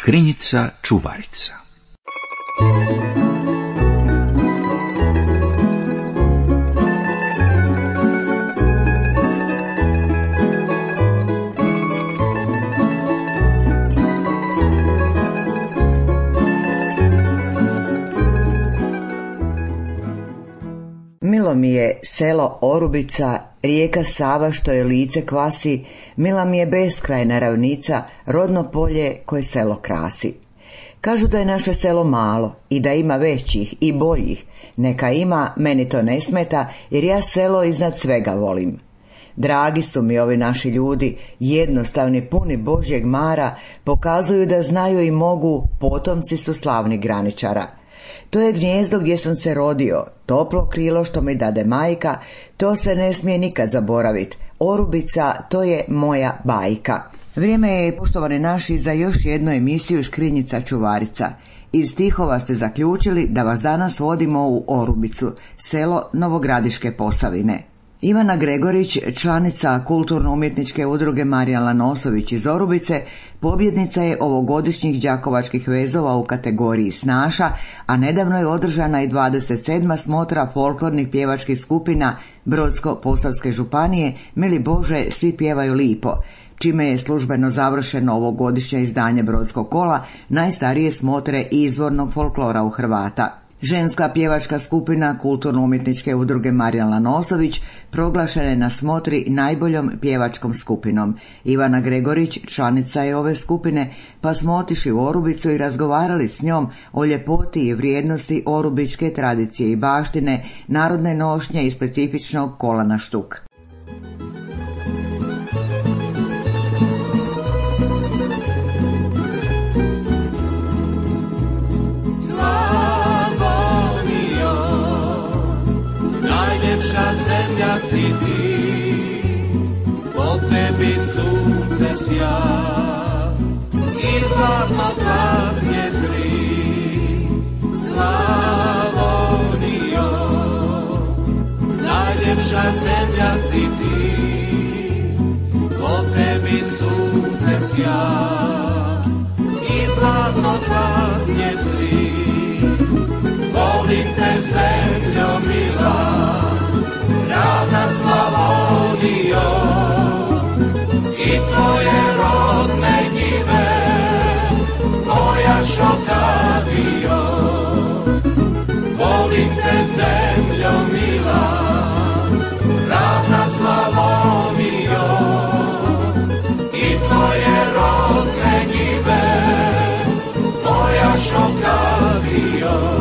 Škrinjica čuvarica. Milo mi je selo Orubica, rijeka Sava što je lice kvasi, mila mi je beskrajna ravnica, rodno polje koje selo krasi. Kažu da je naše selo malo i da ima većih i boljih, neka ima, meni to ne smeta jer ja selo iznad svega volim. Dragi su mi ovi naši ljudi, jednostavni, puni Božjeg mara, pokazuju da znaju i mogu, potomci su slavnih graničara. To je gnijezdo gdje sam se rodio, toplo krilo što mi dade majka, to se ne smije nikad zaboravit. Orubica, to je moja bajka. Vrijeme je, poštovani naši, za još jednu emisiju Škrinjica čuvarica. Iz stihova ste zaključili da vas danas vodimo u Orubicu, selo Novogradiške Posavine. Ivana Gregorić, članica kulturno-umjetničke udruge Marijan Lanosović iz Orubice, pobjednica je ovogodišnjih đakovačkih vezova u kategoriji snaša, a nedavno je održana i 27. smotra folklornih pjevačkih skupina Brodsko-posavske županije Mili Bože, svi pjevaju lipo, čime je službeno završeno ovogodišnje izdanje Brodskog kola, najstarije smotre izvornog folklora u Hrvata. Ženska pjevačka skupina kulturno-umjetničke udruge Marijan Lanosović proglašena je na smotri najboljom pjevačkom skupinom. Ivana Gregorić članica je ove skupine, pa smo otišli u Orubicu i razgovarali s njom o ljepoti i vrijednosti orubičke tradicije i baštine, narodne nošnje i specifičnog kola na štuk. Zemlja si ti, po tebi sunce sja i zlatno krasje zri. Slavonijo, najljepša zemlja si ti, po tebi sunce sja i zlatno krasje zri. Volim te zemljo mila, ravna Slavonijo, i tvoje rodne njive, moja Šokadijo. Volim te zemljo mila, ravna Slavonijo, i tvoje rodne njive, moja Šokadijo.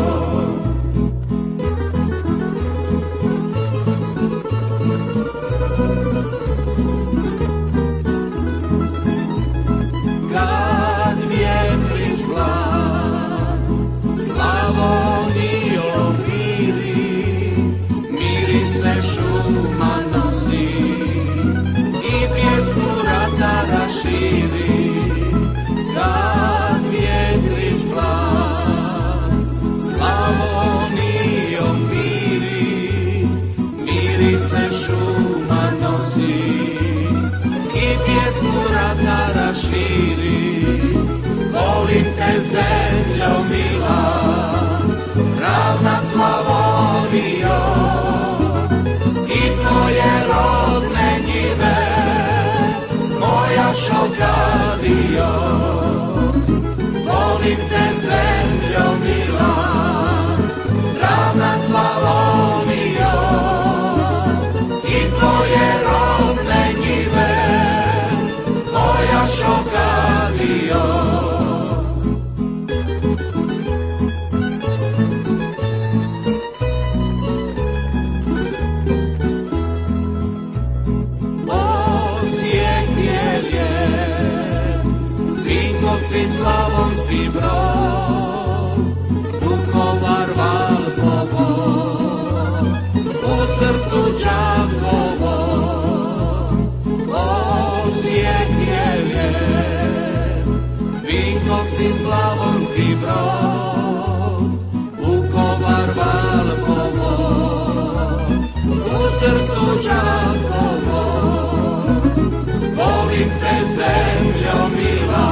Širi, kad vjetrić plan, Slavonijom miri, mirise šuma nosi i pjesmu ratara širi. Volim te zemljo mila, ravna Slavonijo, i tvoje rodne njive, moja Šokadijo. Volim te zemljo mila, ravna Slavonijo, i tvoje rodne njive, moja Šokadijo. Slavonski Brod, Vukovar, Valpovo, u srcu Đakovo, Osijek je, Vinkovci, Slavonski Brod, Vukovar, Valpovo, u srcu Đakovo. Volim te zemljo mila,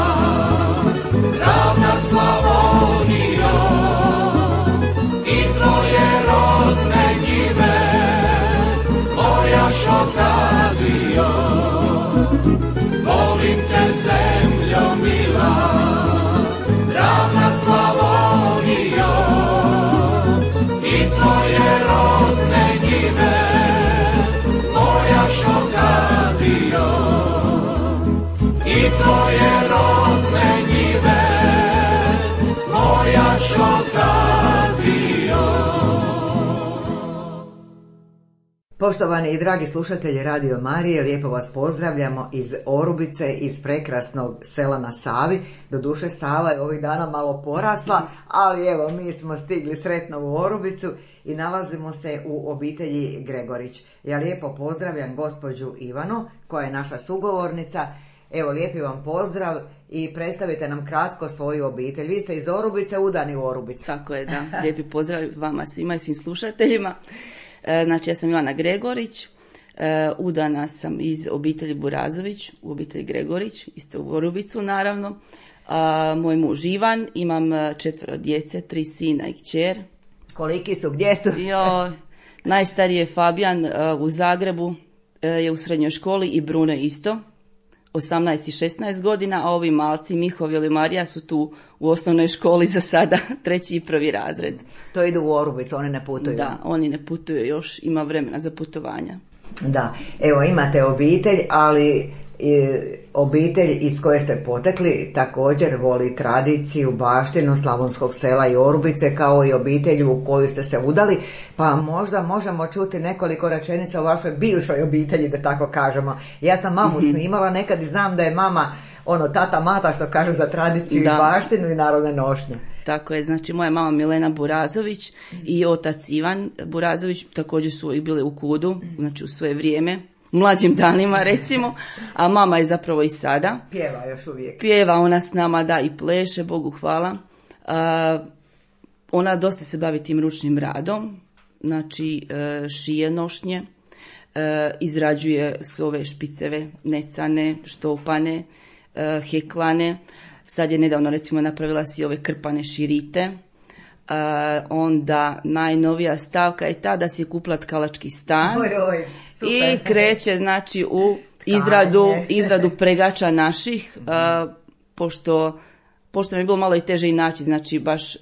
Poštovani i dragi slušatelji Radio Marije, lijepo vas pozdravljamo iz Orubice, iz prekrasnog sela na Savi. Doduše Sava je ovih dana malo porasla, ali evo mi smo stigli sretno u Orubicu i nalazimo se u obitelji Gregorić. Ja lijepo pozdravljam gospođu Ivanu, koja je naša sugovornica. Evo, lijepi vam pozdrav i predstavite nam kratko svoju obitelj. Vi ste iz Orubice, udani u Orubicu. Tako je, da. Lijepi pozdrav vama svima i svim slušateljima. Znači, ja sam Ivana Gregorić, udana sam iz obitelji Burazović, u obitelji Gregorić, isto u Orubicu naravno. Moj muž Ivan, imam 4 djece, 3 sina i kćer. Koliki su, gdje su? Najstariji je Fabijan u Zagrebu, je u srednjoj školi i Bruno isto, 18 i 16 godina, a ovi malci Miho i Marija su tu u osnovnoj školi za sada, 3. i 1. razred. To idu u Orubicu, oni ne putuju? Da, oni ne putuju još, ima vremena za putovanja. Da, evo imate obitelj, ali obitelj iz koje ste potekli također voli tradiciju, baštinu slavonskog sela i Orubice, kao i obitelj u koju ste se udali, pa možda možemo čuti nekoliko rečenica o vašoj bivšoj obitelji, da tako kažemo. Ja sam mamu snimala nekad i znam da je mama tata mata, što kažu, za tradiciju i baštinu i narodne nošnje. Tako je, znači moja mama Milena Burazović i otac Ivan Burazović također su i bili u Kudu, znači u svoje vrijeme, u mlađim danima recimo, a mama je zapravo i sada. Pjeva još uvijek. Pjeva ona s nama, da, i pleše, Bogu hvala. Ona dosta se bavi tim ručnim radom, znači šije nošnje, izrađuje ove špiceve, necane, štopane, heklane. Sad je nedavno recimo napravila si ove krpane širite. Onda najnovija stavka je ta da si je kupila tkalački stan. Super. I kreće znači u izradu pregača naših, pošto mi je bilo malo i teže i naći, znači baš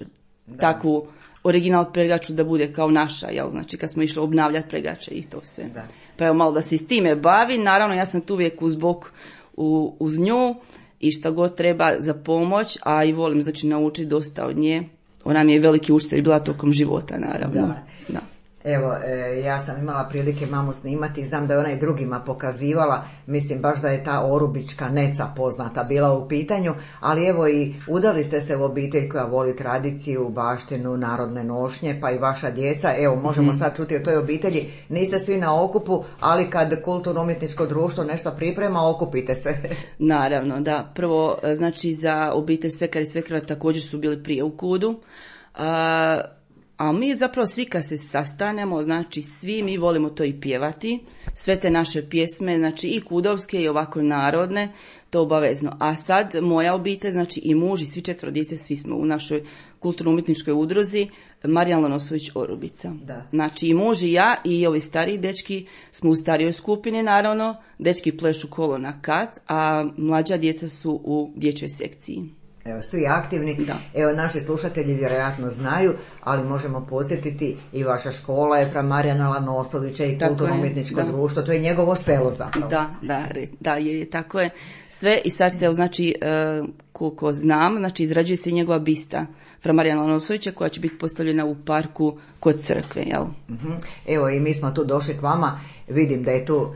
takvu original pregaču da bude kao naša, jel? Znači kad smo išli obnavljati pregače i to sve. Da. Pa evo malo da se s time bavi, naravno ja sam tu uvijek uz bok uz nju i šta god treba za pomoć, a i volim znači naučiti dosta od nje. Ona mi je veliki učitelj bila tokom života, naravno. Da. Evo, ja sam imala prilike mamu snimati i znam da je ona i drugima pokazivala, mislim baš da je ta orubička neca poznata bila u pitanju, ali evo i udali ste se u obitelj koja voli tradiciju, baštinu, narodne nošnje, pa i vaša djeca. Evo, možemo sad čuti o toj obitelji, niste svi na okupu, ali kad kulturno-umjetničko društvo nešto priprema, okupite se. Naravno, da. Prvo, znači za obitelj Svekar i Svekrva također su bili prije u Kudu, a mi zapravo svi kad se sastanemo, znači svi mi volimo to i pjevati, sve te naše pjesme, znači i kudovske i ovako narodne, to obavezno. A sad moja obitelj, znači i muž i svi 4 djece, svi smo u našoj kulturno-umjetničkoj udruzi Marijan Lonosović Orubica. Da. Znači i muž i ja i ovi stariji dečki smo u starijoj skupini, naravno, dečki plešu kolo na kat, a mlađa djeca su u dječjoj sekciji. Evo, svi aktivni. Da. Evo, naši slušatelji vjerojatno znaju, ali možemo podsjetiti i vaša škola je fra Marijana Lanosovića i kulturno-umjetničko društvo, to je njegovo selo zapravo. Da, je, tako je. Sve i sad se, znači, koliko znam, znači izrađuje se i njegova bista fra Marijana Lanosovića koja će biti postavljena u parku kod crkve, jel? Evo, i mi smo tu došli k vama, vidim da je tu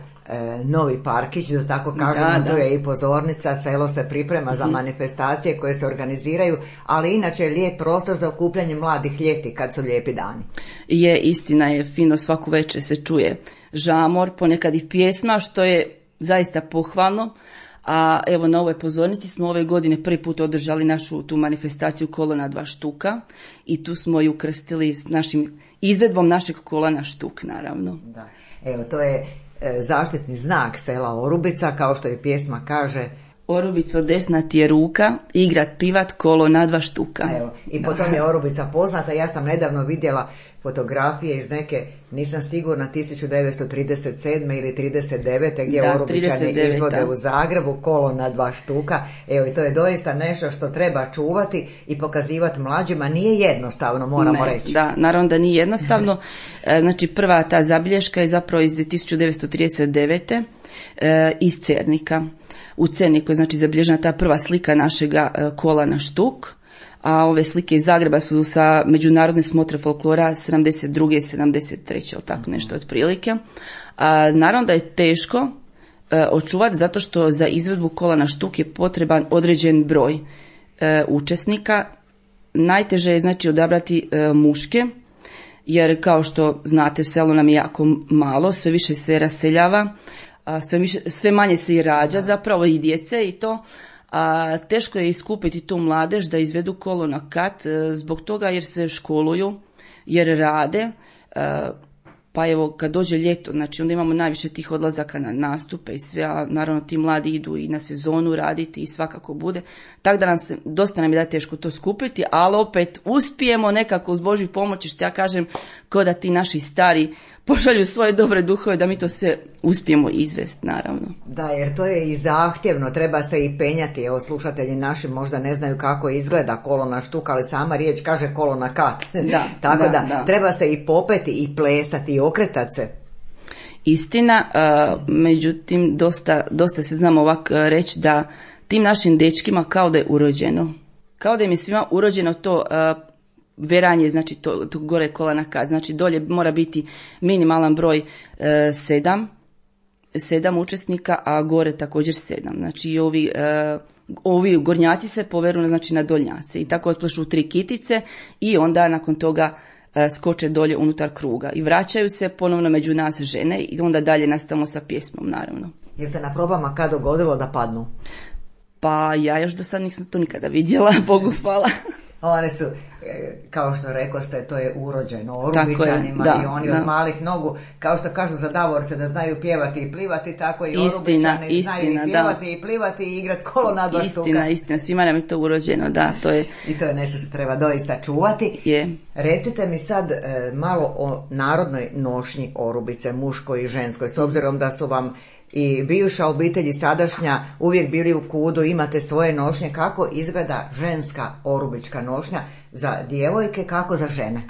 novi parkić, da tako kažemo, tu je i pozornica, selo se priprema za manifestacije koje se organiziraju, ali inače je lijep prostor za okupljanje mladih ljeti kad su lijepi dani. Je, istina je, fino svaku večer se čuje žamor, ponekad i pjesma, što je zaista pohvalno. A evo na ovoj pozornici smo ove godine prvi put održali našu tu manifestaciju Kolo na 2 štuka i tu smo ju ukrstili s našim izvedbom našeg kola na štuk, naravno. Da. Evo, to je zaštitni znak sela Orubica, kao što je pjesma kaže: Orubico, desna ti je ruka, igrat pivat kolo na 2 štuka. Evo, i po tom je Orubica poznata. Ja sam nedavno vidjela fotografije iz neke, nisam sigurna, 1937. ili 39. gdje Orubičani izvode u Zagrebu kolo na 2 štuka. Evo, i to je doista nešto što treba čuvati i pokazivati mlađima. Nije jednostavno, moramo reći. Da, naravno da nije jednostavno. Znači, prva ta zabilješka je zapravo iz 1939. Iz Cernika. U Cerniku je znači zabilježena ta prva slika našega kola na štuk a ove slike iz Zagreba su sa međunarodne smotre folklora 72. 73. ili tako nešto otprilike. Naravno da je teško očuvati zato što za izvedbu kola na štuk je potreban određen broj učesnika. Najteže je znači odabrati muške, jer kao što znate selo nam je jako malo, sve više se raseljava, sve manje se i rađa zapravo i djece i to. Teško je iskupiti tu mladež da izvedu kolo na kat zbog toga jer se školuju, jer rade. Pa evo kad dođe ljeto, znači onda imamo najviše tih odlazaka na nastupe i sve, a naravno ti mladi idu i na sezonu raditi i svakako bude. Tako da dosta nam je da teško to skupiti, ali opet uspijemo nekako uz Božju pomoć, što ja kažem, kao da ti naši stari pošalju svoje dobre duhove da mi to sve uspijemo izvesti, naravno. Da, jer to je i zahtjevno, treba se i penjati. Evo, slušatelji naši možda ne znaju kako izgleda kolo na štuk, ali sama riječ kaže kolo na kat. Tako da treba se i popeti i plesati i okretati se. Istina, međutim, dosta se znamo ovako reći da tim našim dečkima kao da je urođeno. Kao da im je svima urođeno to veranje, znači to gore kola na kat. Znači dolje mora biti minimalan broj 7 učesnika, a gore također 7. Znači ovi gornjaci se poveru znači na dolnjace i tako otplešu 3 kitice i onda nakon toga skoče dolje unutar kruga i vraćaju se ponovno među nas žene i onda dalje nastavimo sa pjesmom, naravno. Je se na probama kad dogodilo da padnu? Pa ja još do sad nisam to nikada vidjela, Bogu hvala. One su, kao što rekoste, to je urođeno Orubićanima i oni od malih nogu, kao što kažu za Davorce da znaju pjevati i plivati, tako i Orubićani znaju i pjevati i plivati i igrati kolo na dva štuka. Istina, svima nam je to urođeno, da, to je. I to je nešto što treba doista čuvati. Je. Recite mi sad malo o narodnoj nošnji Orubice, muškoj i ženskoj, s obzirom da su vam i bivša obitelj i sadašnja uvijek bili u kudu, imate svoje nošnje. Kako izgleda ženska orubička nošnja za djevojke, kako za žene?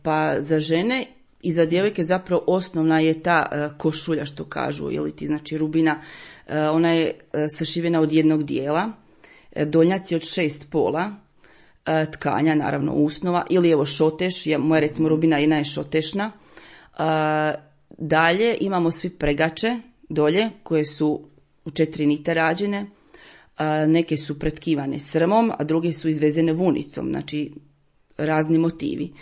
Pa za žene i za djevojke zapravo osnovna je ta košulja što kažu, ili ti znači rubina. Ona je sašivena od jednog dijela, donjaci od 6 pola, tkanja naravno usnova, ili evo šoteš, moja recimo rubina jedna je šotešna. Dalje imamo svi pregače dolje koje su u 4 nite rađene, neke su pretkivane srmom, a druge su izvezene vunicom, znači razni motivi.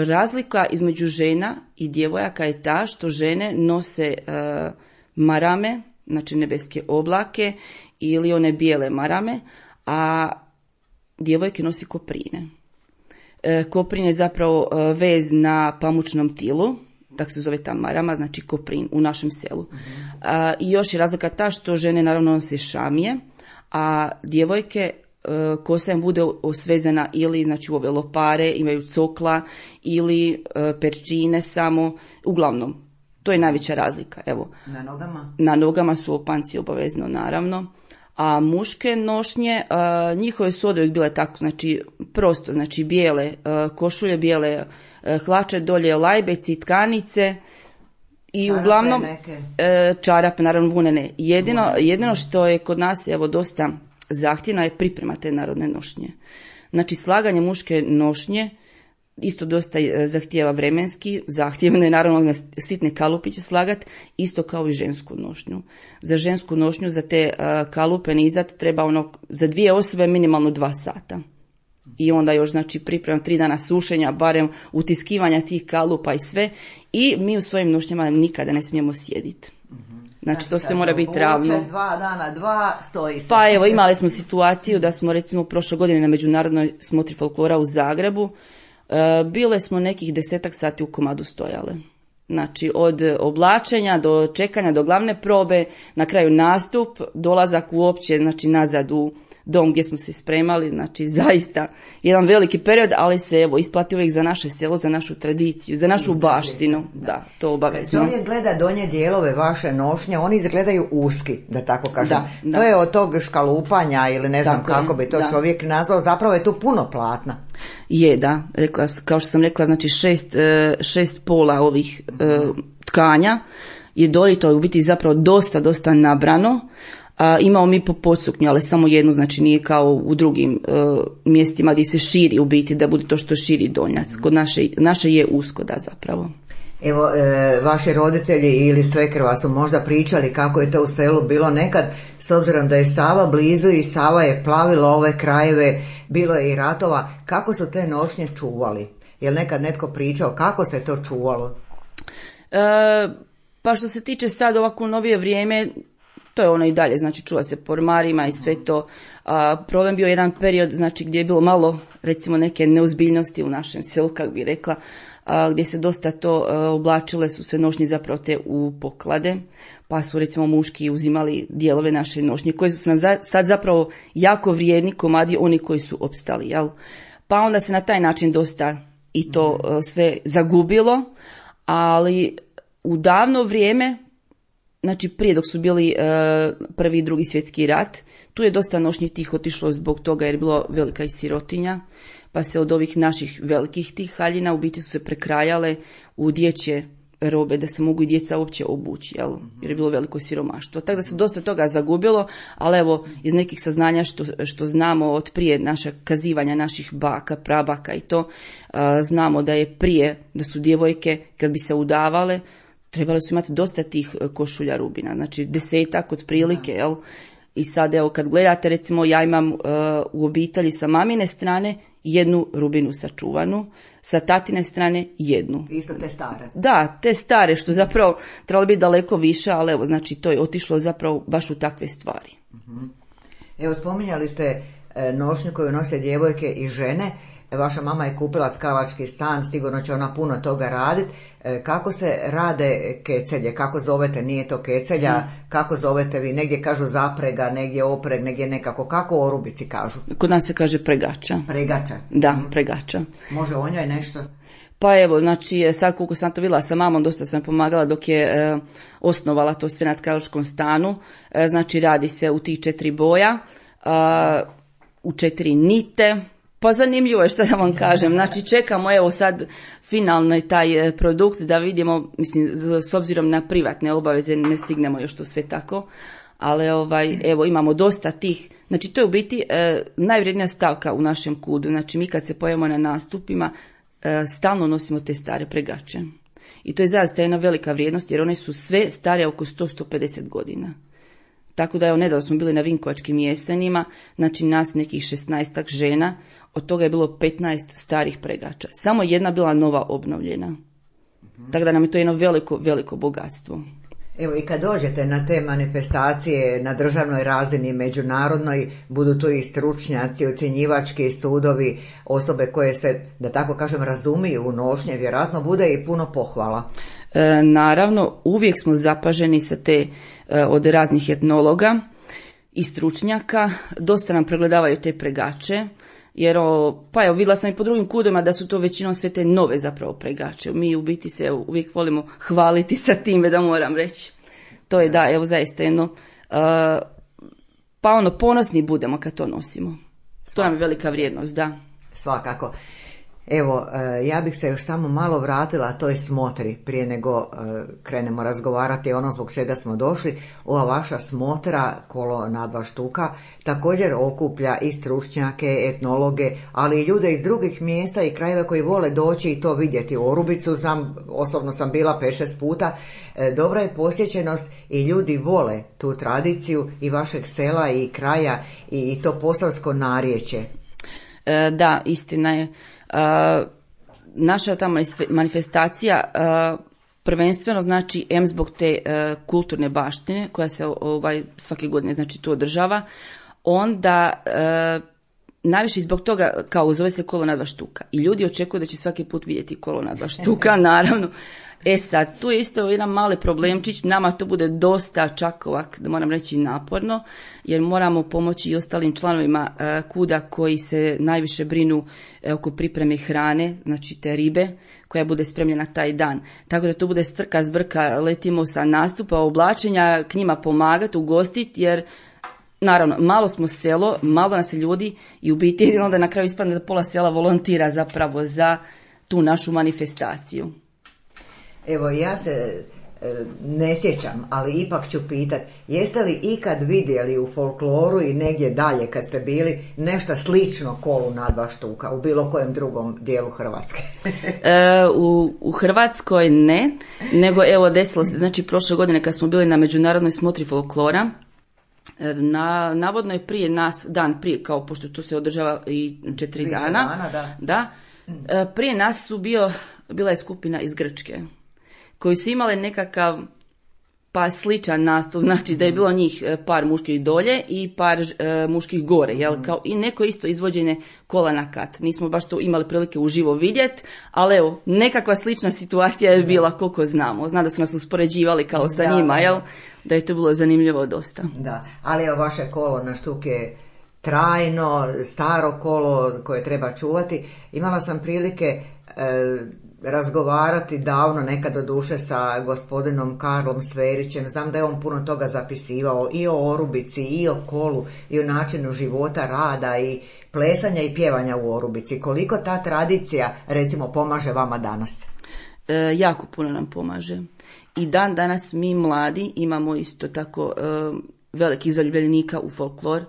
Razlika između žena i djevojaka je ta što žene nose marame, znači nebeske oblake ili one bijele marame, a djevojke nosi koprine. Koprin je zapravo vez na pamučnom tilu, tako se zove ta marama, znači koprin u našem selu. I još je razlika ta što žene naravno nose šamije, a djevojke kosa im bude osvezena ili znači u ove lopare, imaju cokla ili perčine samo, uglavnom. To je najveća razlika. Evo. Na nogama? Na nogama su opanci obavezno, naravno. A muške nošnje, njihove su oduvijek bile tako, znači prosto, znači bijele košulje, bijele hlače, dolje lajbeci, tkanice i čarape uglavnom čarape, naravno vunene. Jedino što je kod nas evo dosta zahtjevno je priprema te narodne nošnje. Znači slaganje muške nošnje isto dosta zahtijeva vremenski, zahtjevno je naravno na sitne kalupiće slagat, isto kao i žensku nošnju. Za žensku nošnju, za te kalupe nizat treba za 2 osobe minimalno 2 sata. I onda još znači priprema 3 dana sušenja, barem utiskivanja tih kalupa i sve. I mi u svojim nošnjama nikada ne smijemo sjediti. Znači to se mora biti ravno. 2 dana, 2 stoji se. Pa evo imali smo situaciju da smo recimo prošle godine na međunarodnoj smotri folklora u Zagrebu bile smo nekih 10 sati u komadu stojale. Znači od oblačenja do čekanja do glavne probe, na kraju nastup, dolazak uopće znači nazad u dom gdje smo se spremali, znači zaista jedan veliki period, ali se evo isplati uvijek za naše selo, za našu tradiciju, za našu baštinu, da, to obavezno. Kad čovjek gleda donje dijelove vaše nošnje, oni izgledaju uski, da tako kažem. Da. To je od tog škalupanja ili ne znam kako bi to čovjek nazvao, zapravo je tu puno platna. Je, da, kao što sam rekla, znači 6 pola ovih tkanja je dolje, to je u biti zapravo dosta nabrano. Imamo mi po podsuknju, ali samo jednu, znači nije kao u drugim mjestima gdje se širi u biti, da bude to što širi donjac. Kod naše je usko, da, zapravo. Evo, vaši roditelji ili svekrva su možda pričali kako je to u selu bilo nekad, s obzirom da je Sava blizu i Sava je plavila ove krajeve, bilo je i ratova. Kako su te nošnje čuvali? Je li nekad netko pričao kako se to čuvalo? Pa što se tiče sad ovako novije vrijeme, to je ono i dalje, znači čuva se po ormarima i sve to. Problem bio jedan period, znači gdje je bilo malo, recimo, neke neozbiljnosti u našem selu, kako bi rekla, gdje se dosta to oblačile su se nošnje zapravo te u poklade, pa su recimo muški uzimali dijelove naše nošnje, koji su nam sad zapravo jako vrijedni komadi, oni koji su opstali, jel? Pa onda se na taj način dosta i to sve zagubilo, ali u davno vrijeme, znači prije dok su bili prvi i drugi svjetski rat, tu je dosta nošnji tih otišlo zbog toga jer je bilo velika i sirotinja, pa se od ovih naših velikih tih haljina u biti su se prekrajale u dječje robe da se mogu i djeca uopće obući, jel? Jer je bilo veliko siromaštvo. Tako da se dosta toga zagubilo, ali evo iz nekih saznanja što znamo od prije naša kazivanja naših baka, prabaka i to, znamo da je prije, da su djevojke kad bi se udavale, trebali su imati dosta tih košulja rubina, znači 10 otprilike, jel? I sad evo kad gledate, recimo ja imam u obitelji sa mamine strane jednu rubinu sačuvanu, sa tatine strane jednu. Isto te stare. Da, te stare, što zapravo trebalo biti daleko više, ali evo, znači to je otišlo zapravo baš u takve stvari. Evo, spominjali ste nošnju koju nose djevojke i žene. Vaša mama je kupila tkalački stan, sigurno će ona puno toga raditi. Kako se rade kecelje? Kako zovete? Nije to kecelja. Kako zovete vi? Negdje kažu zaprega, negdje opreg, negdje nekako. Kako orubici kažu? Kod nas se kaže pregača. Pregača? Da, pregača. Može o njoj nešto? Pa evo, znači sad koliko sam to vidjela sa mamom, dosta sam pomagala dok je osnovala to sve na tkalačkom stanu. Znači radi se u tih 4 boja, u 4 nite. Pa zanimljivo je što da vam kažem, znači čekamo evo sad finalni taj produkt da vidimo, mislim s obzirom na privatne obaveze ne stignemo još to sve tako, ali evo imamo dosta tih, znači to je u biti najvrijednija stavka u našem kudu, znači mi kad se pojavimo na nastupima stalno nosimo te stare pregače i to je zaista jedna velika vrijednost jer one su sve stare oko 100-150 godina. Tako da evo nedavno smo bili na Vinkovačkim jesenima, znači nas nekih 16 žena, od toga je bilo 15 starih pregača. Samo jedna bila nova obnovljena. Tako da nam je to jedno veliko, veliko bogatstvo. Evo i kad dođete na te manifestacije na državnoj razini, međunarodnoj, budu tu i stručnjaci, ocjenjivački sudovi, osobe koje se, da tako kažem, razumiju u nošnje, vjerojatno bude i puno pohvala. Naravno, uvijek smo zapaženi sa te od raznih etnologa i stručnjaka, dosta nam pregledavaju te pregače, jer pa evo vidjela sam i po drugim kudovima da su to većinom sve te nove zapravo pregače. Mi u biti se uvijek volimo hvaliti sa time, da moram reći. To je da, evo zaista jedno, pa ponosni budemo kad to nosimo. To nam je velika vrijednost, da. Svakako. Evo, ja bih se još samo malo vratila toj smotri prije nego krenemo razgovarati o onom zbog čega smo došli. Ova vaša smotra, kolo na 2 štuka, također okuplja i stručnjake, etnologe, ali i ljude iz drugih mjesta i krajeva koji vole doći i to vidjeti. U Orubicu osobno sam bila 5-6 puta. Dobra je posjećenost i ljudi vole tu tradiciju i vašeg sela i kraja i to posavsko narječje. Da, istina je. Naša ta manifestacija prvenstveno znači zbog te kulturne baštine koja se svake godine znači tu održava, onda najviše zbog toga kao zove se kolo na 2 štuka i ljudi očekuju da će svaki put vidjeti kolo na 2 štuka, naravno. Sad, tu je isto jedan mali problemčić, nama to bude dosta čak ovak, da moram reći, naporno, jer moramo pomoći i ostalim članovima kuda koji se najviše brinu oko pripreme hrane, znači te ribe, koja bude spremljena taj dan. Tako da to bude strka zbrka, letimo sa nastupa, oblačenja, k njima pomagati, ugostiti, jer naravno, malo smo selo, malo nas je ljudi i u biti onda na kraju ispadne da pola sela volontira zapravo za tu našu manifestaciju. Evo, ja se ne sjećam, ali ipak ću pitat, jeste li ikad vidjeli u folkloru i negdje dalje kad ste bili nešto slično kolu na 2 štuka u bilo kojem drugom dijelu Hrvatske? U Hrvatskoj ne, nego evo desilo se, znači prošle godine kad smo bili na međunarodnoj smotri folklora, navodno je prije nas, dan prije, kao pošto to se održava i 4 dana, da, prije nas bila je skupina iz Grčke, koji su imali nekakav pa sličan nastup, znači da je bilo njih par muških dolje i par muških gore, jel? Kao i neko isto izvođenje kola na kat. Nismo baš to imali prilike uživo vidjeti, ali evo, nekakva slična situacija je bila koliko znamo. Zna da su nas uspoređivali kao sa njima, jel? Da je to bilo zanimljivo dosta. Da, ali evo vaše kolo na štuk je trajno, staro kolo koje treba čuvati. Imala sam prilike razgovarati davno, nekad do duše, sa gospodinom Karlom Sverićem. Znam da je on puno toga zapisivao i o Orubici, i o kolu, i o načinu života, rada i plesanja i pjevanja u Orubici. Koliko ta tradicija, recimo, pomaže vama danas? Jako puno nam pomaže. I dan danas mi mladi imamo isto tako velikih zaljubljenika u folklor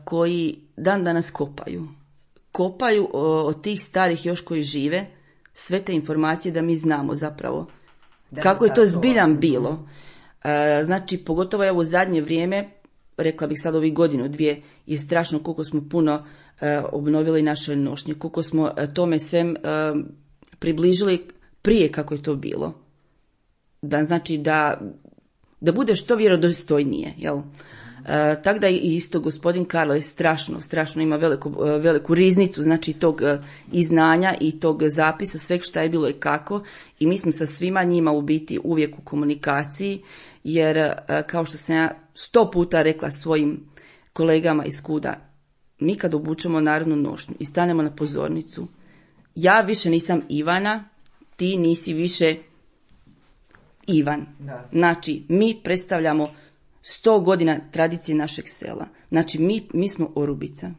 koji dan danas kopaju od tih starih još koji žive sve te informacije da mi znamo zapravo kako je to zbiljan bilo. Znači, pogotovo je u zadnje vrijeme, rekla bih sad ovih 1-2, je strašno koliko smo puno obnovili naše nošnje, koliko smo tome svem približili prije kako je to bilo. Da znači da bude što vjerodostojnije, jel? Tako da i isto gospodin Karlo je strašno ima veliku riznicu, znači tog i znanja i tog zapisa sveg šta je bilo i kako, i mi smo sa svima njima u biti uvijek u komunikaciji, jer kao što sam ja 100 puta rekla svojim kolegama iz KUD-a, mi kad obučemo narodnu nošnju i stanemo na pozornicu, ja više nisam Ivana, ti nisi više Ivan. Da. Znači, mi predstavljamo 100 godina tradicije našeg sela. Znači, mi smo Orubica.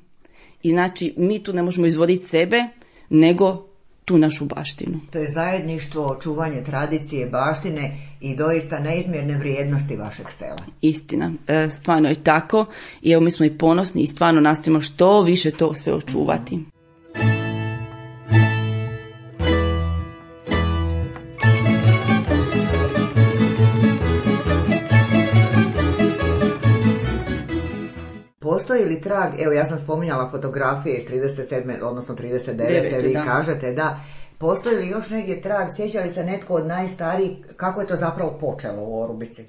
I znači, mi tu ne možemo izvoditi sebe, nego tu našu baštinu. To je zajedništvo, očuvanje tradicije, baštine i doista neizmjerne vrijednosti vašeg sela. Istina. Stvarno je tako. I evo, mi smo i ponosni i stvarno nastojimo što više to sve očuvati. Postoji li trag, evo ja sam spominjala fotografije iz 37. odnosno 39. Vi kažete da, postoji li još negdje trag, sjeća li se netko od najstarijih, kako je to zapravo počelo u Orubici?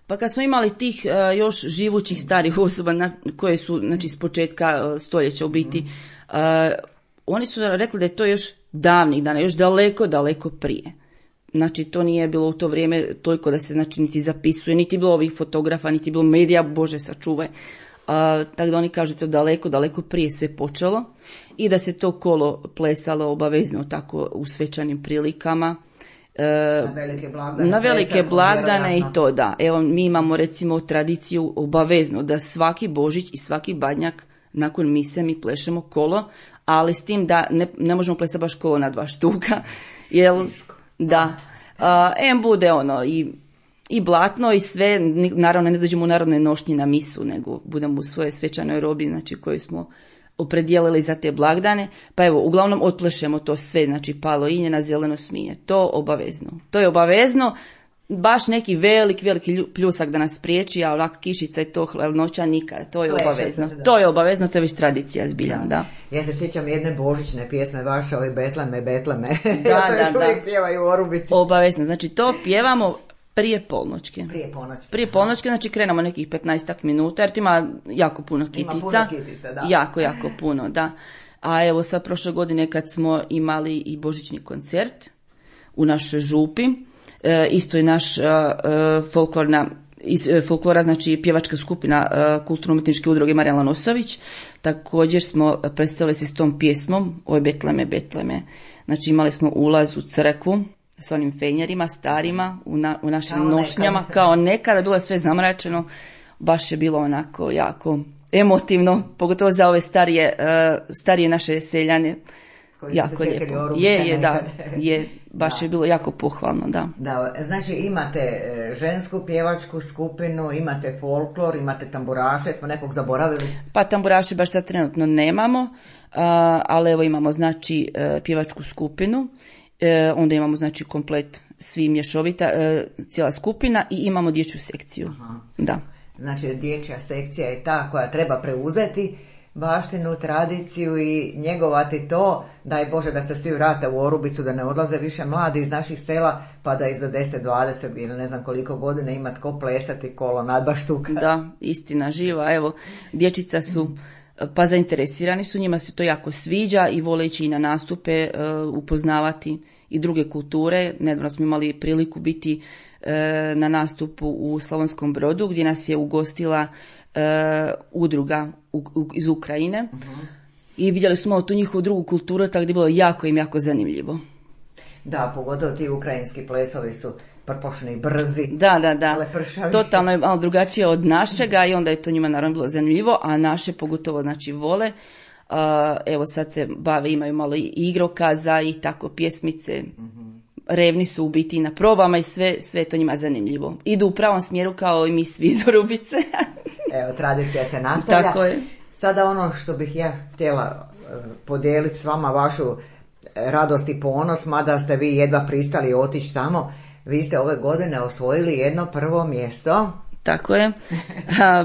Pa kad smo imali tih još živućih starih osoba koje su, znači, s početka stoljeća u biti, oni su rekli da je to još davnih dana, još daleko prije. Znači, to nije bilo u to vrijeme toliko da se, znači, niti zapisuje, niti bilo ovih fotografa, niti bilo medija, Bože sačuvaj. Tako da oni kažu to daleko prije sve počelo i da se to kolo plesalo obavezno tako u svečanim prilikama. Na velike blagdane i to da. Evo, mi imamo recimo tradiciju obavezno da svaki Božić i svaki Badnjak nakon mise mi plešemo kolo, ali s tim da ne možemo plesati baš kolo na 2 štuka. Jel, da. Bude ono i blatno i sve, naravno ne dođemo u narodne nošnje na misu, nego budemo u svojoj svečanoj robi, znači, koju smo opredijelili za te blagdane, pa evo, uglavnom otplešemo to sve, znači palo injena, zeleno sminje, to je obavezno, baš neki veliki pljusak da nas priječi, a ovako kišica i to hladnoća nikad, to je obavezno. To je obavezno, to je već tradicija zbiljan, da. Ja se sjećam jedne božićne pjesme vaše, ove Betleme. Da. Uvijek pjevaju u Orubici. Obavezno, znači to pjevamo prije polnoćke. Prije polnoćke, znači krenemo nekih 15 minuta, jer ima jako puno kitica. Da. Jako puno, da. A evo sad prošle godine kad smo imali i božićni koncert u našoj župi, isto je naš folklora, znači pjevačka skupina kulturno-umjetničke udruge Marijan Lanosović, također smo predstavili se s tom pjesmom Oj Betleme. Znači imali smo ulaz u crkvu s onim fenjerima starima u našim nošnjama, kao nekada, bilo je sve zamračeno, baš je bilo onako jako emotivno, pogotovo za ove starije naše seljane. koji jako su se sjetili lijepo. Orubice Je, da, nekad. je, baš je bilo jako pohvalno, da. Da, znači imate žensku pjevačku skupinu, imate folklor, imate tamburaše, smo nekog zaboravili? Pa tamburaše baš sad trenutno nemamo, ali evo imamo znači pjevačku skupinu, onda imamo znači komplet svi mješovita, cijela skupina i imamo dječju sekciju. Aha. Da. Znači dječja sekcija je ta koja treba preuzeti baštinu, tradiciju i njegovati to, daj Bože da se svi vrate u Orubicu, da ne odlaze više mladi iz naših sela, pa da i za 10, 20 ili ne znam koliko godina ima tko plesati kolo nadbaštuka. Da, istina živa, evo, dječica su pa zainteresirani su, njima se to jako sviđa i vole ići i na nastupe, upoznavati i druge kulture. Nedavno smo imali priliku biti na nastupu u Slavonskom Brodu gdje nas je ugostila udruga iz Ukrajine i vidjeli smo tu njihovu drugu kulturu, tako da je bilo jako zanimljivo. Da, pogotovo ti ukrajinski plesovi su prpošni, brzi. Da. Lepršavi. Totalno je malo drugačije od našega i onda je to njima naravno bilo zanimljivo, a naše pogotovo znači vole. Evo sad se bave, imaju malo i igrokaza i tako pjesmice. Revni su u biti na probama i sve je to njima zanimljivo. Idu u pravom smjeru kao i mi svi iz Orubice. Evo, tradicija se nastavlja. Tako je. Sada ono što bih ja htjela podijeliti s vama vašu radost i ponos, mada ste vi jedva pristali otići tamo, vi ste ove godine osvojili jedno prvo mjesto. Tako je.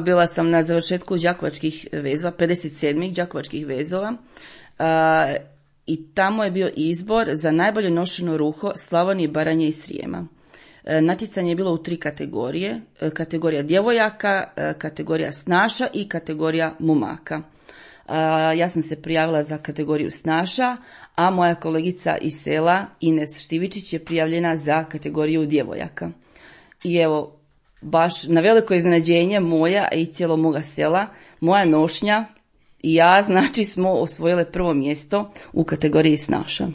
Bila sam na završetku đakovačkih vezova, 57. đakovačkih vezova. I tamo je bio izbor za najbolje nošeno ruho Slavonije, Baranje i Srijema. Natjecanje je bilo u 3 kategorije. Kategorija djevojaka, kategorija snaša i kategorija momaka. Ja sam se prijavila za kategoriju snaša, a moja kolegica iz sela Ines Štivičić je prijavljena za kategoriju djevojaka. I evo, baš na veliko iznenađenje moja i cijelo moga sela, moja nošnja i ja, znači, smo osvojile prvo mjesto u kategoriji snaša.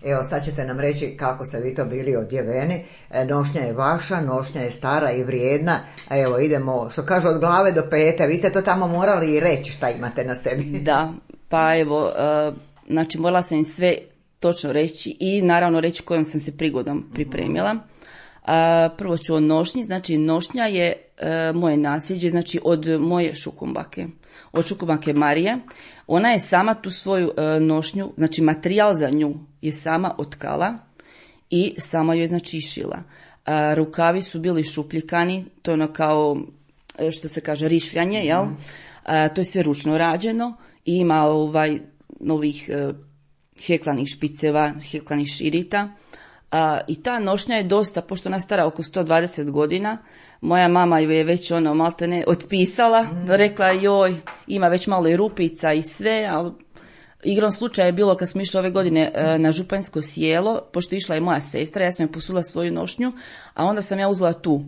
Evo, sad ćete nam reći kako ste vi to bili odjeveni. Nošnja je vaša, nošnja je stara i vrijedna. A evo, idemo, što kažu, od glave do pete. Vi ste to tamo morali i reći šta imate na sebi. Da, pa evo, znači morala sam im sve točno reći i naravno reći kojom sam se prigodom pripremila. Prvo ću o nošnji, znači nošnja je moje nasljeđe, znači od moje šukumbake, od šukumbake Marije. Ona je sama tu svoju nošnju, znači materijal za nju je sama otkala i sama joj znači šila. Rukavi su bili šupljikani, to je ono kao što se kaže rišljanje, jel? To je sve ručno rađeno i ima novih heklanih špiceva, heklanih širita. I ta nošnja je dosta, pošto ona stara oko 120 godina, moja mama ju je već maltene otpisala, rekla joj, ima već malo i rupica i sve, ali igrom slučaja je bilo kad smo išli ove godine na Županjsko sjelo, pošto išla je moja sestra, ja sam joj posudila svoju nošnju, a onda sam ja uzela tu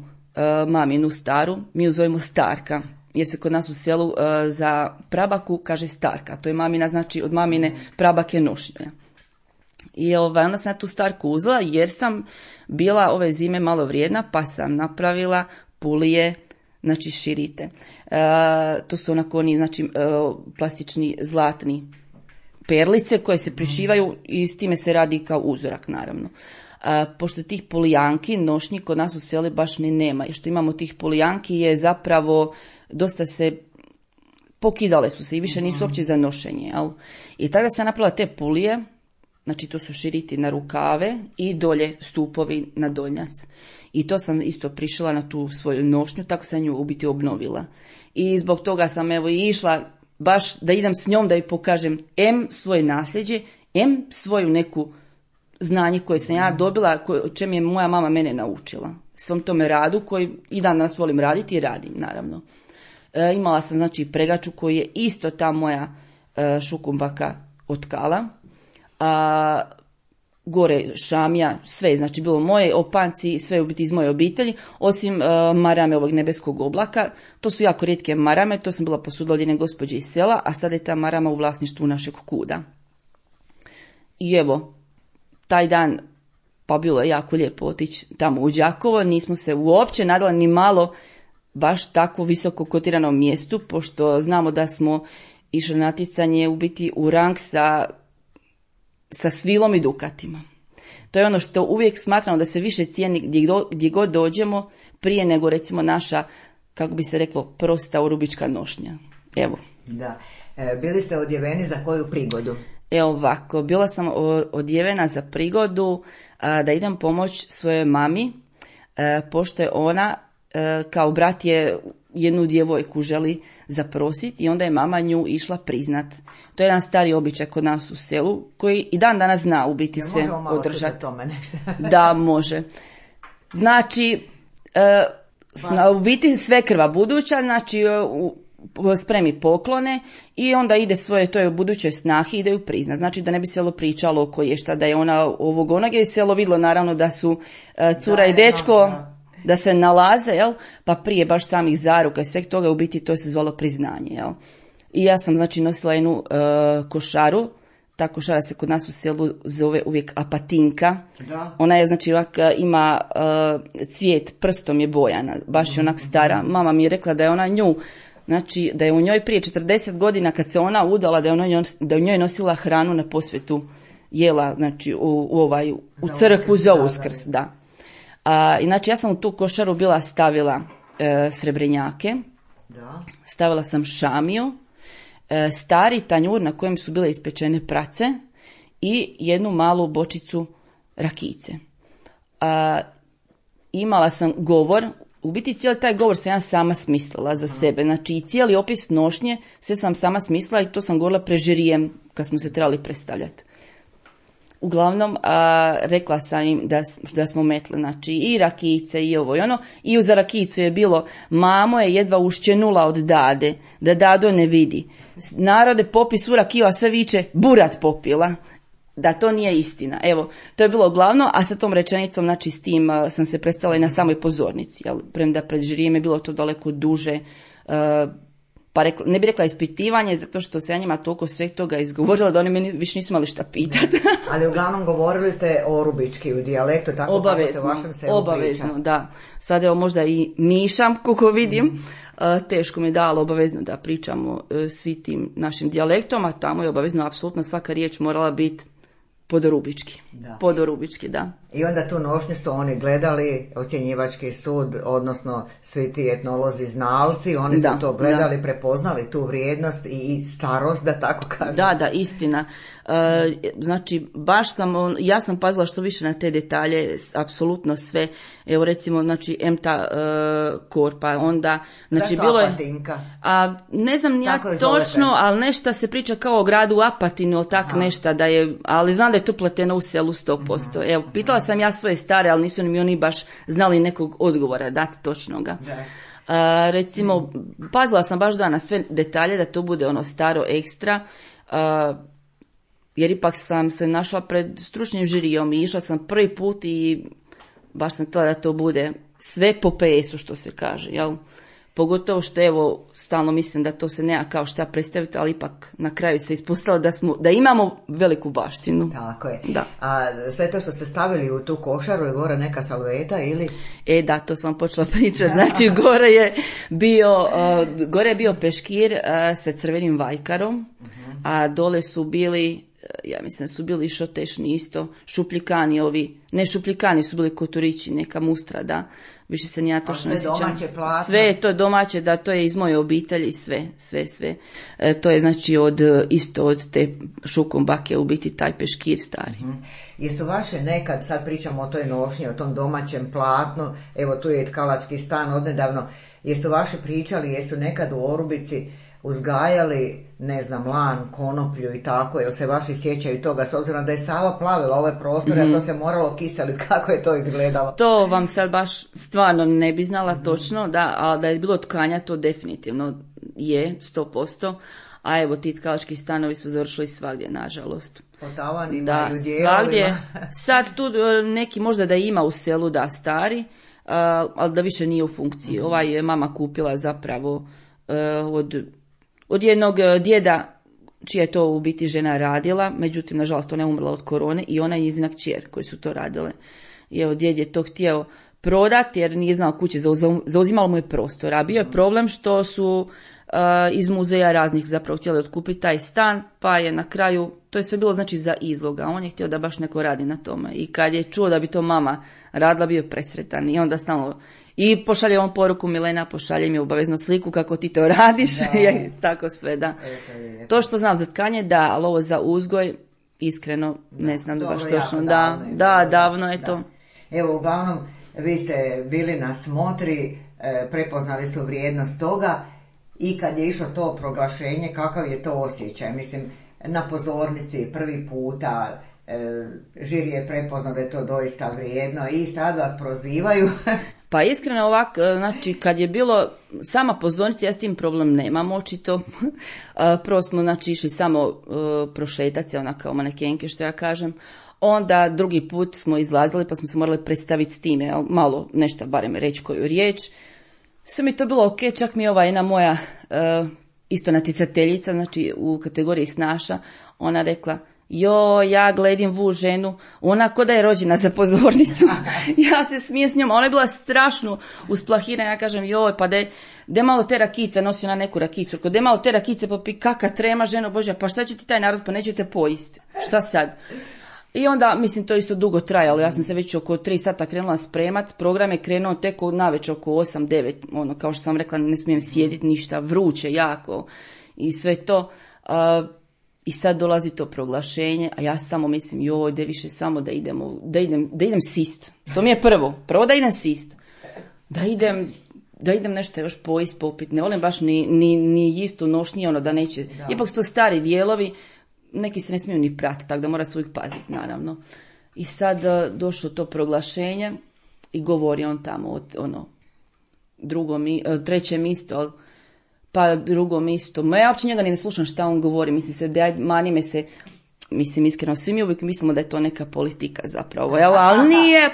maminu staru, mi ju zovemo Starka, jer se kod nas u selu za prabaku kaže Starka, to je mamina, znači od mamine prabake nošnja. I onda sam ja tu Starku uzela jer sam bila ove zime malo vrijedna, pa sam napravila pulije, znači širite. To su onako oni, znači plastični zlatni perlice koje se prišivaju i s time se radi kao uzorak naravno. Pošto tih polijanki nošnji kod nas u selu baš ni nema i što imamo tih polijanki je zapravo dosta se pokidale su se i više nisu uopće za nošenje. Jel? I tada sam napravila te pulije. Znači to su širiti na rukave i dolje stupovi na donjac. I to sam isto prišila na tu svoju nošnju, tako sam nju u biti obnovila. I zbog toga sam evo i išla baš da idem s njom da joj pokažem svoje nasljeđe, svoju neku znanje koje sam ja dobila, o čem je moja mama mene naučila. Svom tome radu koji i danas volim raditi i radim naravno. Imala sam znači pregaču koju je isto ta moja šukumbaka otkala. Gore šamija, sve je znači bilo moje, opanci, sve je u biti iz moje obitelji, osim marame ovog nebeskog oblaka. To su jako rijetke marame, to sam bila posudila od jedne gospođe iz sela, a sada je ta marama u vlasništvu našeg kuda. I evo, taj dan, pa bilo je jako lijepo otići tamo u Đakovo, nismo se uopće nadala ni malo baš tako visoko kotiranom mjestu, pošto znamo da smo išli na natjecanje u biti u rang sa sa svilom i dukatima. To je ono što uvijek smatramo da se više cijeni gdje god dođemo prije nego recimo naša, kako bi se reklo, prosta orubička nošnja. Evo. Da. Bili ste odjeveni za koju prigodu? Evo ovako, bila sam odjevena za prigodu da idem pomoć svojoj mami, pošto je ona, kao brat je jednu djevojku želi zaprositi i onda je mama nju išla priznat. To je jedan stari običaj kod nas u selu koji i dan danas zna u biti se održati. Tome nešto? Da, može. Znači, u biti svekrva buduća, znači spremi poklone i onda ide svoje toj budućoj snahi, ide ju priznat. Znači da ne bi selo pričalo oko je šta da je ona ovog onog, je selo vidjelo naravno da su cura i dečko da se nalaze, jel? Pa prije baš samih zaruka i sveg toga u biti to se zvalo priznanje. Jel? I ja sam znači nosila jednu košaru. Ta košara se kod nas u selu zove uvijek apatinka. Da. Ona je znači ima cvijet, prstom je bojana, baš je onak stara. Mama mi je rekla da je ona nju, znači da je u njoj prije 40 godina kad se ona udala, da je u njoj nosila hranu na posvetu, jela znači u crkvu za Uskrs, da. Znači ja sam u tu košaru bila stavila srebrenjake, da. Stavila sam šamiju, stari tanjur na kojem su bile ispečene prace i jednu malu bočicu rakijice. Imala sam govor, u biti cijeli taj govor sam ja sama smislila za sebe, znači i cijeli opis nošnje sve sam sama smislila i to sam govorila pred žirijem kad smo se trebali predstavljati. Uglavnom, rekla sam im da smo metli, znači i rakijice i ovo i ono, i za rakijicu je bilo, mamo je jedva ušćenula od dade, da dado ne vidi. Narode popi svu rakiju, a sve viče, burat popila. Da to nije istina. Evo, to je bilo glavno, a sa tom rečenicom, znači s tim sam se predstavila i na samoj pozornici, jel? Premda pred žirijem je bilo to daleko duže, pa ne bih rekla ispitivanje, zato što se ja njima toliko sveg toga izgovorila da oni meni više nisu imali šta pitati. Ali uglavnom govorili ste orubički u dijalektu, tako obavezno, kako se u vašem selu obavezno, priča. Da. Sad evo možda i mišam, kako vidim. Teško mi je dalo obavezno da pričamo svi tim našim dijalektom, a tamo je obavezno apsolutno svaka riječ morala biti podorubički. Da. Podorubički, da. I onda tu nošnju su oni gledali, ocjenjivački sud, odnosno svi ti etnolozi znalci, oni su to gledali, prepoznali tu vrijednost i starost, da tako kažem. Da, istina. Znači, baš ja sam pazila što više na te detalje, apsolutno sve. Evo recimo, znači, emta korpa, onda, znači, zašto bilo je... Apatinka? Ne znam nijak točno, ali nešto se priča kao o gradu Apatinu, ili tak nešto da je, ali znam da je to pleteno u selu 100%. Evo, pitala sam ja svoje stare, ali nisu mi oni baš znali nekog odgovora dati točnoga. Recimo, pazila sam baš na sve detalje, da to bude ono staro ekstra, jer ipak sam se našla pred stručnim žirijom i išla sam prvi put i baš sam htjela da to bude sve po PS-u, što se kaže, jel? Pogotovo što evo, stalno mislim da to se nema kao šta predstaviti, ali ipak na kraju se ispostavilo da imamo veliku baštinu. Tako je. Da. A sve to što ste stavili u tu košaru je gore neka salveta ili? Da, to sam počela pričati. Znači, gore je bio peškir sa crvenim vajkarom, a dole su bili, ja mislim da su bili šotešni isto, šupljikani ovi, ne šupljikani su bili koturići, neka mustra, da. Više se nija točno ne sjećam. Sve je to domaće, da, to je iz moje obitelji, sve. To je znači isto od te šukom bake u biti taj peškir stari. Jesu vaše nekad, sad pričamo o toj nošnji, o tom domaćem platnu, evo tu je tkalački stan odnedavno, jesu vaše pričali, jesu nekad u Orubici uzgajali, ne znam, lan, konoplju i tako, jel se vaši sjećaju toga, s obzirom da je Sava plavila ove prostore, a to se moralo kiseliti, kako je to izgledalo? To vam sad baš stvarno ne bi znala točno, da, ali da je bilo tkanja, to definitivno je, 100%, a evo ti tkalački stanovi su završili svagdje, nažalost. Po tavanima da, i u dijelovima. Sad tu neki možda da ima u selu, da, stari, ali da više nije u funkciji. Ovaj je mama kupila zapravo od jednog djeda čija je to u biti žena radila, međutim, nažalost, ona je umrla od korone i ona je njezina kćer koji su to radile. I evo, djed je to htio prodati jer nije znao kuće, zauzimalo mu je prostor. A bio je problem što su iz muzeja raznih zapravo htjeli otkupiti taj stan, pa je na kraju, to je sve bilo znači za izloga, on je htio da baš neko radi na tome i kad je čuo da bi to mama radila, bio presretan i onda stalno i pošalje on poruku, Milena, pošalje mi obavezno sliku kako ti to radiš, je tako sve, da. To što znam za tkanje, da, ali ovo za uzgoj, iskreno, ne znam baš točno, davno je to. Evo, uglavnom, vi ste bili na smotri, prepoznali su vrijednost toga i kad je išlo to proglašenje, kakav je to osjećaj? Mislim, na pozornici prvi puta, žiri je prepoznao da je to doista vrijedno i sad vas prozivaju. Pa iskreno ovako, znači kad je bilo sama pozornica, ja s tim problem nemam očito. Prvo smo znači išli samo prošetati se, ona kao manekenke što ja kažem. Onda drugi put smo izlazili pa smo se morali predstaviti s time, malo nešto barem reći koju riječ. Sve mi to bilo ok, čak mi je ova jedna moja isto natjecateljica, znači u kategoriji snaša, ona rekla, ja gledim vu ženu, ona ko da je rođena za pozornicu. Ja se smijem s njom, ona je bila strašno usplahirana, ja kažem, pa de malo te rakice, nosi ona neku rakicu, de malo te rakice, pa kaka trema ženo Božja, pa šta će ti taj narod, pa nećete pojist, šta sad? I onda, mislim, to isto dugo trajalo, ja sam se već oko 3 sata krenula spremat, program je krenuo tek navečer oko 8-9, ono, kao što sam rekla, ne smijem sjediti ništa, vruće jako i sve to. I sad dolazi to proglašenje, a ja samo mislim, da više samo da idem sist. To mi je prvo da idem sist. Da idem nešto još pojist, popit, ne volim baš ni istu nošnje, ono da neće, ipak su to stari dijelovi, neki se ne smiju ni pratiti, tako da mora se uvijek paziti, naravno. I sad došlo to proglašenje i govori on tamo, trećem isto, pa drugom isto. Ja uopće njega ni ne slušam šta on govori, mani me se, mislim iskreno, svi mi uvijek mislimo da je to neka politika zapravo, ali nije,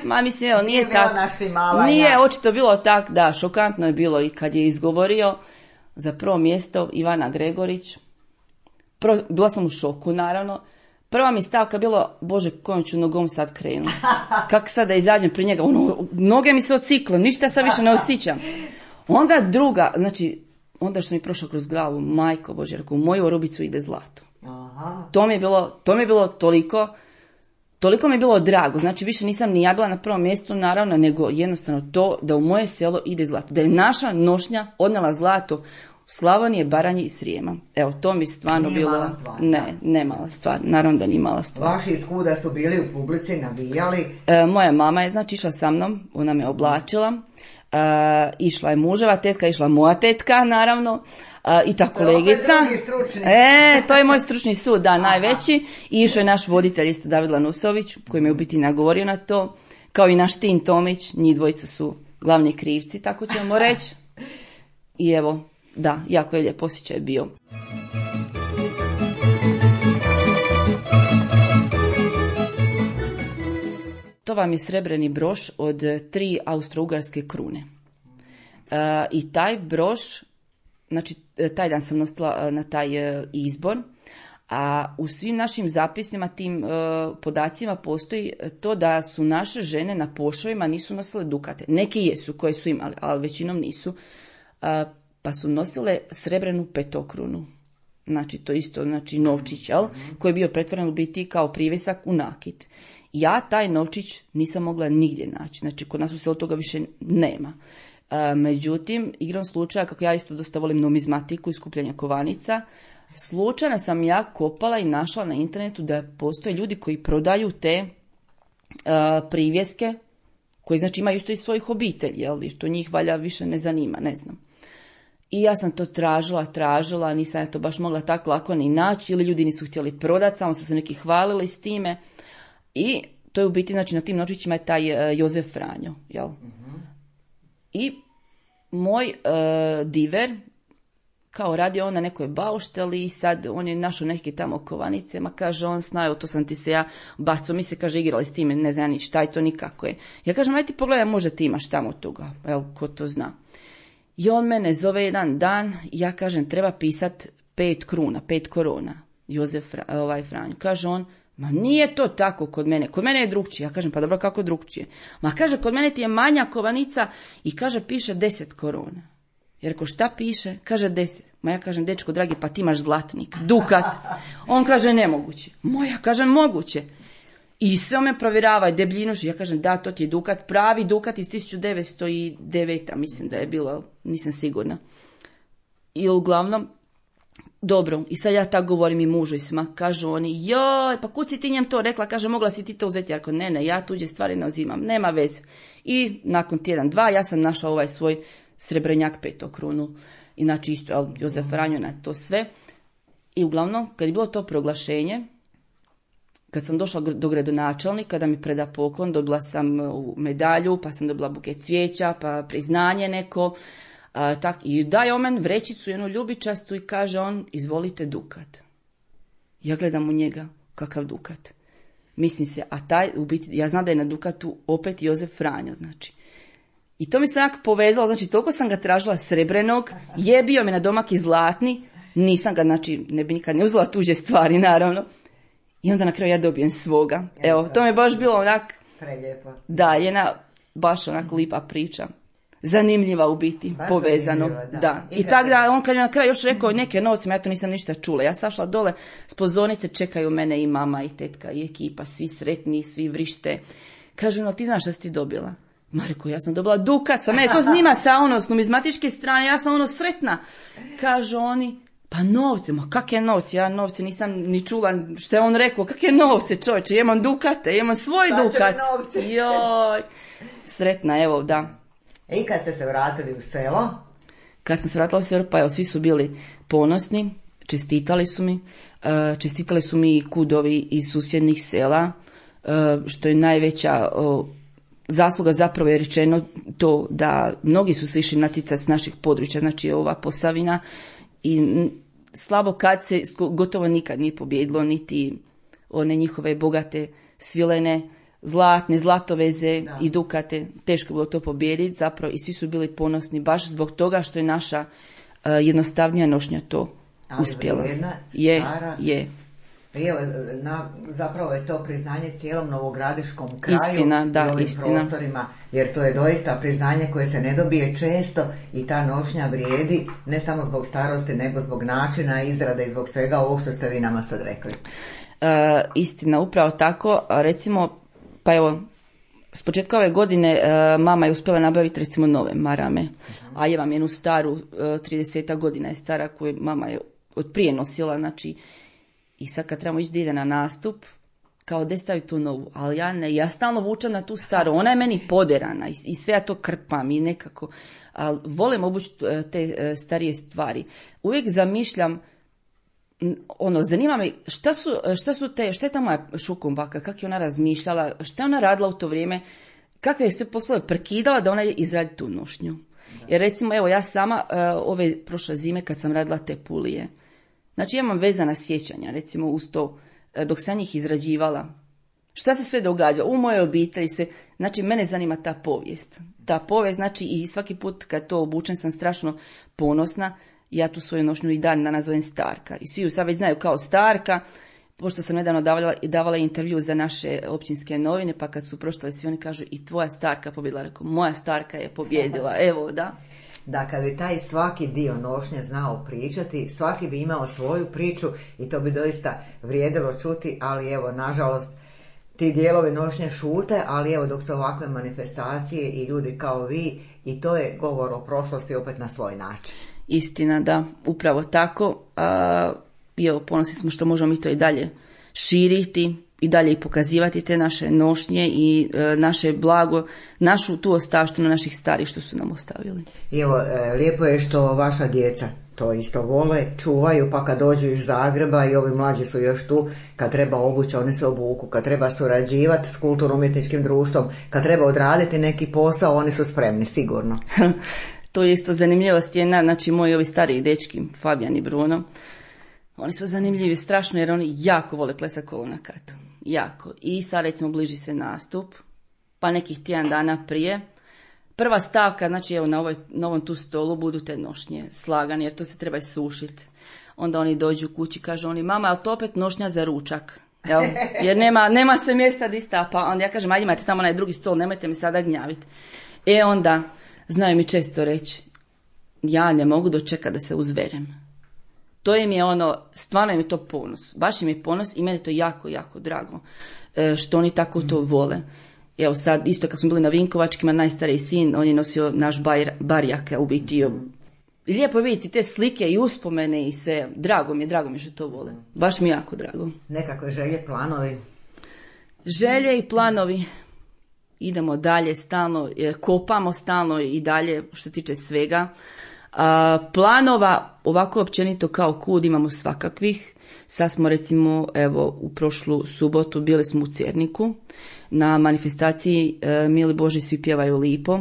nije tako. Nije, očito bilo tako, da, šokantno je bilo i kad je izgovorio za prvo mjesto Ivana Gregorić. Bila sam u šoku, naravno. Prva mi stavka bilo, Bože, kojom ću nogom sad krenu. Kako sad da izađem pri njega? Noge mi se ocikle, ništa sad više ne osjećam. Onda druga, znači, onda što mi je prošlo kroz glavu, majko Bože, u moju orubicu ide zlato. Aha. To mi je bilo toliko mi je bilo drago. Znači, više nisam ni ja bila na prvom mjestu, naravno, nego jednostavno to da u moje selo ide zlato. Da je naša nošnja odnela zlato Slavonije, Baranje i Srijema. Evo, to mi stvarno nije bilo... Mala stvar, ne mala stvar, naravno da nije mala stvar. Vaši iskuda su bili u publici, navijali? Moja mama je, znači, išla sa mnom, ona me oblačila, išla je muževa tetka, išla moja tetka, naravno, i ta kolegica. To je moj stručni sud, da, najveći. I išao je naš voditelj, isto David Lanusović, koji me u biti nagovorio na to, kao i naš Tin Tomić, njih dvojicu su glavni krivci, tako ćemo reći. I evo, da, jako je lijep osjećaj bio. To vam je srebreni broš od 3 austro-ugarske krune. I taj broš, znači taj dan sam nosila na taj izbor, a u svim našim zapisima, tim podacima postoji to da su naše žene na pošovima nisu nosile dukate. Neki jesu koje su imali, ali većinom nisu. Pa su nosile srebrenu petokrunu. Znači to isto, znači novčić, koji je bio pretvoren u biti kao privjesak u nakit. Ja taj novčić nisam mogla nigdje naći. Znači kod nas u selu toga više nema. Međutim, igrom slučaja, kako ja isto dosta volim numizmatiku i skupljanje kovanica, slučajno sam ja kopala i našla na internetu da postoje ljudi koji prodaju te privjeske, koji znači imaju isto iz svojih obitelji, jer to njih valja više ne zanima, ne znam. I ja sam to tražila, nisam ja to baš mogla tako lako ni naći, ili ljudi nisu htjeli prodati, samo su se neki hvalili s time. I to je u biti, znači na tim novčićima je taj Jozef Franjo, jel? Uh-huh. I moj diver, kao radi on na nekoj baušteli i sad on je našao neke tamo kovanice, ma kaže on, znaju, to sam ti se ja bacao, mi se kaže igrali s time, ne znam ni šta je to, nikako je. Ja kažem, aj ti pogledaj, možda ti imaš tamo toga, jel, ko to zna. I on mene zove jedan dan i ja kažem, treba pisat 5 korona, Jozef Franjo. Kaže on, ma nije to tako kod mene je drugčije. Ja kažem, pa dobro, kako drugčije? Ma kaže, kod mene ti je manja kovanica i kaže, piše 10 korona. Ja rekao, šta piše? Kaže 10. Ma ja kažem, dečko dragi, pa ti imaš zlatnik, dukat. On kaže, nemoguće. Ja kažem, moguće. I sve me provjerava, debljinu, ja kažem, da, to ti je dukat, pravi dukat iz 1909. Mislim da je bilo, nisam sigurna. I uglavnom, dobro, i sad ja tako govorim i mužu i svima, kažu oni, joj, pa kud si ti njem to rekla, kaže, mogla si ti to uzeti, ja rekao, ne, ja tuđe stvari ne uzimam, nema veze. I nakon tjedan, dva, ja sam našla ovaj svoj srebrenjak petokrunu, inače isto Jozef Franjo na to sve. I uglavnom, kad je bilo to proglašenje, kad sam došla do gradonačelnika da mi preda poklon, dobila sam medalju, pa sam dobila buket cvijeća, pa priznanje neko, i daje on meni vrećicu jednu ljubičastu i kaže on, izvolite dukat. Ja gledam u njega, kakav dukat. Mislim se, a taj, u biti, ja znam da je na dukatu opet Jozef Franjo, znači. I to mi se jako povezalo, znači toliko sam ga tražila srebrenog, je bio mi na domak i zlatni, nisam ga, znači ne bi nikad ne uzela tuđe stvari, naravno. I onda na kraju ja dobijem svoga. Evo, to mi je baš bilo onak... Prelijepo. Da, jedna baš onak lipa priča. Zanimljiva u biti, baš povezano. Da. I tako da, on kad je na kraju još rekao neke novce, ja to nisam ništa čula. Ja sašla dole, s pozornice čekaju mene i mama i tetka i ekipa, svi sretni, svi vrište. Kažu, no ti znaš šta si ti dobila? Ma rekao, ja sam dobila dukat, sa mene to snima sa s numizmatičke strane, ja sam sretna. Kažu oni, pa novce, ma kakve novce, ja novce nisam ni čula što je on rekao, kakve novce čovječe, imam dukate, imam svoj dukat. Joj, sretna, evo, da. I kad ste se vratili u selo? Kad sam se vratila u selo, pa evo, svi su bili ponosni, čestitali su mi i kudovi iz susjednih sela, što je najveća zasluga, zapravo je rečeno to da mnogi su se išli natjecati s naših područja, znači ova Posavina, i slabo kad se gotovo nikad nije pobjedilo, niti one njihove bogate svilene, zlatne, zlatoveze i dukate, teško bilo to pobijediti zapravo, i svi su bili ponosni baš zbog toga što je naša jednostavnija nošnja to uspjela. Ali vrijedna, stara. Je. Evo, zapravo je to priznanje cijelom novogradiškom kraju. Istina, da, i ovim istina. prostorima, jer to je doista priznanje koje se ne dobije često i ta nošnja vrijedi ne samo zbog starosti, nego zbog načina izrade i zbog svega ovo što ste vi nama sad rekli. Istina, upravo tako. Recimo, pa evo, s početka ove godine mama je uspjela nabaviti recimo nove marame, a je vam jednu staru, 30 godina je stara, koju mama je od prije nosila, znači. I sad kad trebamo ići da ide na nastup, kao da stavi tu novu, ali ja stalno vučem na tu staru, ona je meni poderana i sve ja to krpam i nekako, ali volim obući te starije stvari. Uvijek zamišljam, zanima me šta je ta moja šukumbaka, kako je ona razmišljala, šta je ona radila u to vrijeme, kakve je sve poslove prekidala da ona izradi tu nošnju. Jer recimo, evo ja sama ove prošle zime kad sam radila te pulije, znači ja imam vezana sjećanja, recimo uz to, dok sam njih izrađivala. Šta se sve događa? U mojoj obitelji se, znači mene zanima ta povijest. Ta povijest, znači i svaki put kad to obučem sam strašno ponosna, ja tu svoju nošnju i dan nazovem Starka. I svi ju sad već znaju kao Starka, pošto sam nedavno davala intervju za naše općinske novine, pa kad su pročitali svi oni kažu i tvoja Starka pobjedila, rekao, moja Starka je pobjedila, evo da. Da, kad bi taj svaki dio nošnje znao pričati, svaki bi imao svoju priču i to bi doista vrijedilo čuti, ali evo, nažalost, ti dijelovi nošnje šute, ali evo, dok su ovakve manifestacije i ljudi kao vi, i to je govor o prošlosti opet na svoj način. Istina, da, upravo tako. I evo, ponosni smo što možemo mi to i dalje širiti, i dalje i pokazivati te naše nošnje i naše blago, našu tu ostavštinu naših starih što su nam ostavili. I evo, lijepo je što vaša djeca to isto vole, čuvaju, pa kad dođu iz Zagreba i ovi mlađi su još tu, kad treba obući, oni se obuku, kad treba surađivati s kulturno-umjetničkim društvom, kad treba odraditi neki posao, oni su spremni, sigurno. To je isto zanimljivost jedna, znači moji ovi stariji dečki, Fabijan i Bruno, oni su zanimljivi strašno jer oni jako vole plesati kolo na katu. Jako. I sad recimo bliži se nastup, pa nekih tjedan dana prije. Prva stavka, znači evo na ovom tu stolu budu te nošnje slagane jer to se treba sušiti. Onda oni dođu kući, kažu oni, mama, ali to opet nošnja za ručak? Jel? Jer nema se mjesta di stapa. Onda ja kažem, ajde imate tamo onaj drugi stol, nemojte mi sada gnjaviti. Onda znaju mi često reći, ja ne mogu dočekati da se uzverem. To im je stvarno im je to ponos. Baš im je ponos i meni je to jako, jako drago što oni tako to vole. Evo sad, isto kad smo bili na Vinkovačkima, najstariji sin, on je nosio naš barjak, u biti. Lijepo je vidjeti te slike i uspomene i sve. Drago mi je što to vole. Baš mi je jako drago. Nekakve želje, planovi? Želje i planovi. Idemo dalje stalno, kopamo stalno i dalje što se tiče svega. Planova, ovako općenito kao kud, imamo svakakvih. Sad smo recimo, evo, u prošlu subotu bili smo u Cerniku na manifestaciji Mili Boži svi pjevaju lipo.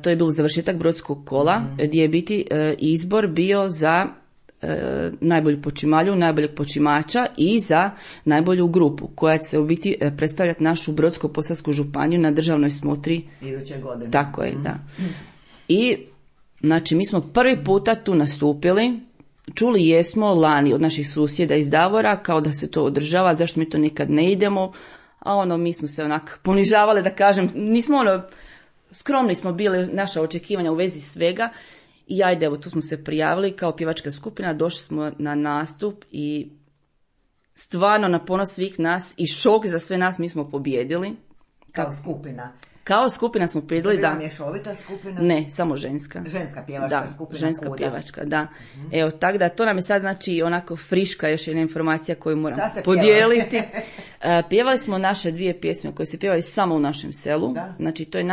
To je bilo završetak brodskog kola gdje je biti izbor bio za najbolju počimalju, najboljeg počimača i za najbolju grupu koja će se u biti predstavljati našu Brodsko-posavsku županiju na državnoj smotri iduće godine. Tako je, da. I znači mi smo prvi puta tu nastupili, čuli jesmo lani od naših susjeda iz Davora kao da se to održava, zašto mi to nikad ne idemo, a mi smo se onak ponižavali, da kažem, nismo skromni smo bili, naša očekivanja u vezi svega. I ajde, evo, tu smo se prijavili kao pjevačka skupina, došli smo na nastup i stvarno na ponos svih nas i šok za sve nas, mi smo pobjedili. Kao skupina? Kao skupina smo pobijedili, da. Bila mješovita skupina? Ne, samo ženska. Ženska pjevačka skupina? Da, ženska pjevačka, da. Evo, tako da to nam je sad znači onako friška još jedna informacija koju moram podijeliti. Pjevali smo naše 2 pjesme koje se pjevaju samo u našem selu. Da. Znači, to je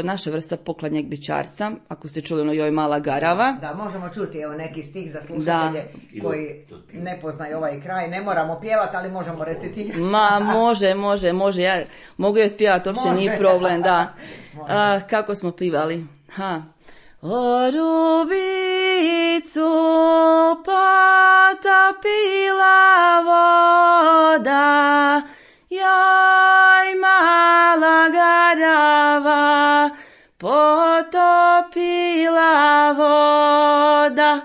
naša vrsta pokladnjeg bičarca. Ako ste čuli Joj mala garava. Da, možemo čuti evo neki stih za slušatelje koji ne poznaju ovaj kraj. Ne moramo pjevati, ali možemo recitirati. Ma, može. Ja mogu je pjevati, uopće nije problem, da. Kako smo pivali? O Rubicu potopila voda, joj mala garava potopila voda.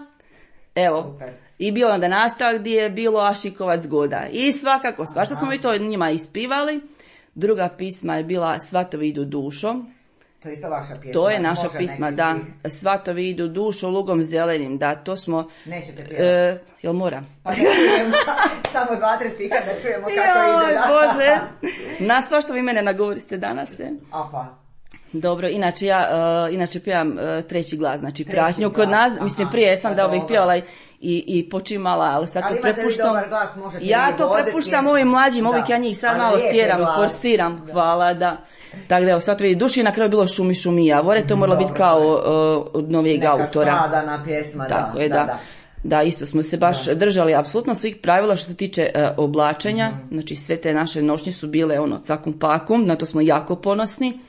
Evo, super. I bio onda nastavak gdje je bilo Ašikovac goda. I svakako, svašta smo mi to njima ispivali. Druga pisma je bila Svatovi idu dušom. To je isto vaša pjesma. To je naša pisma, da. Svatovi idu dušom, lugom zelenim, da, to smo... Nećete pjevati? Jel mora? Pa ne čujemo, samo 2-3 stiha da čujemo kako ide. Joj, Bože. Na svašta vi mene nagovoriste danas, Apa. Dobro, inače pjevam treći glas, znači pratnju kod nas, mislim prije sam da uvijek pjevala i počimala, ali sad to prepuštam. Ja to prepuštam ovim mlađim, ovih ja njih sad malo tjeram, forsiram, hvala, da. Tako da evo, sad vidi duši, na kraju bilo šumi javore, to moralo biti kao od novijeg autora. Neka skladana pjesma, da. Tako je, da. Da, isto smo se baš držali apsolutno svih pravila što se tiče oblačenja, znači sve te naše nošnje su bile cakum pakum, na to smo jako ponosni.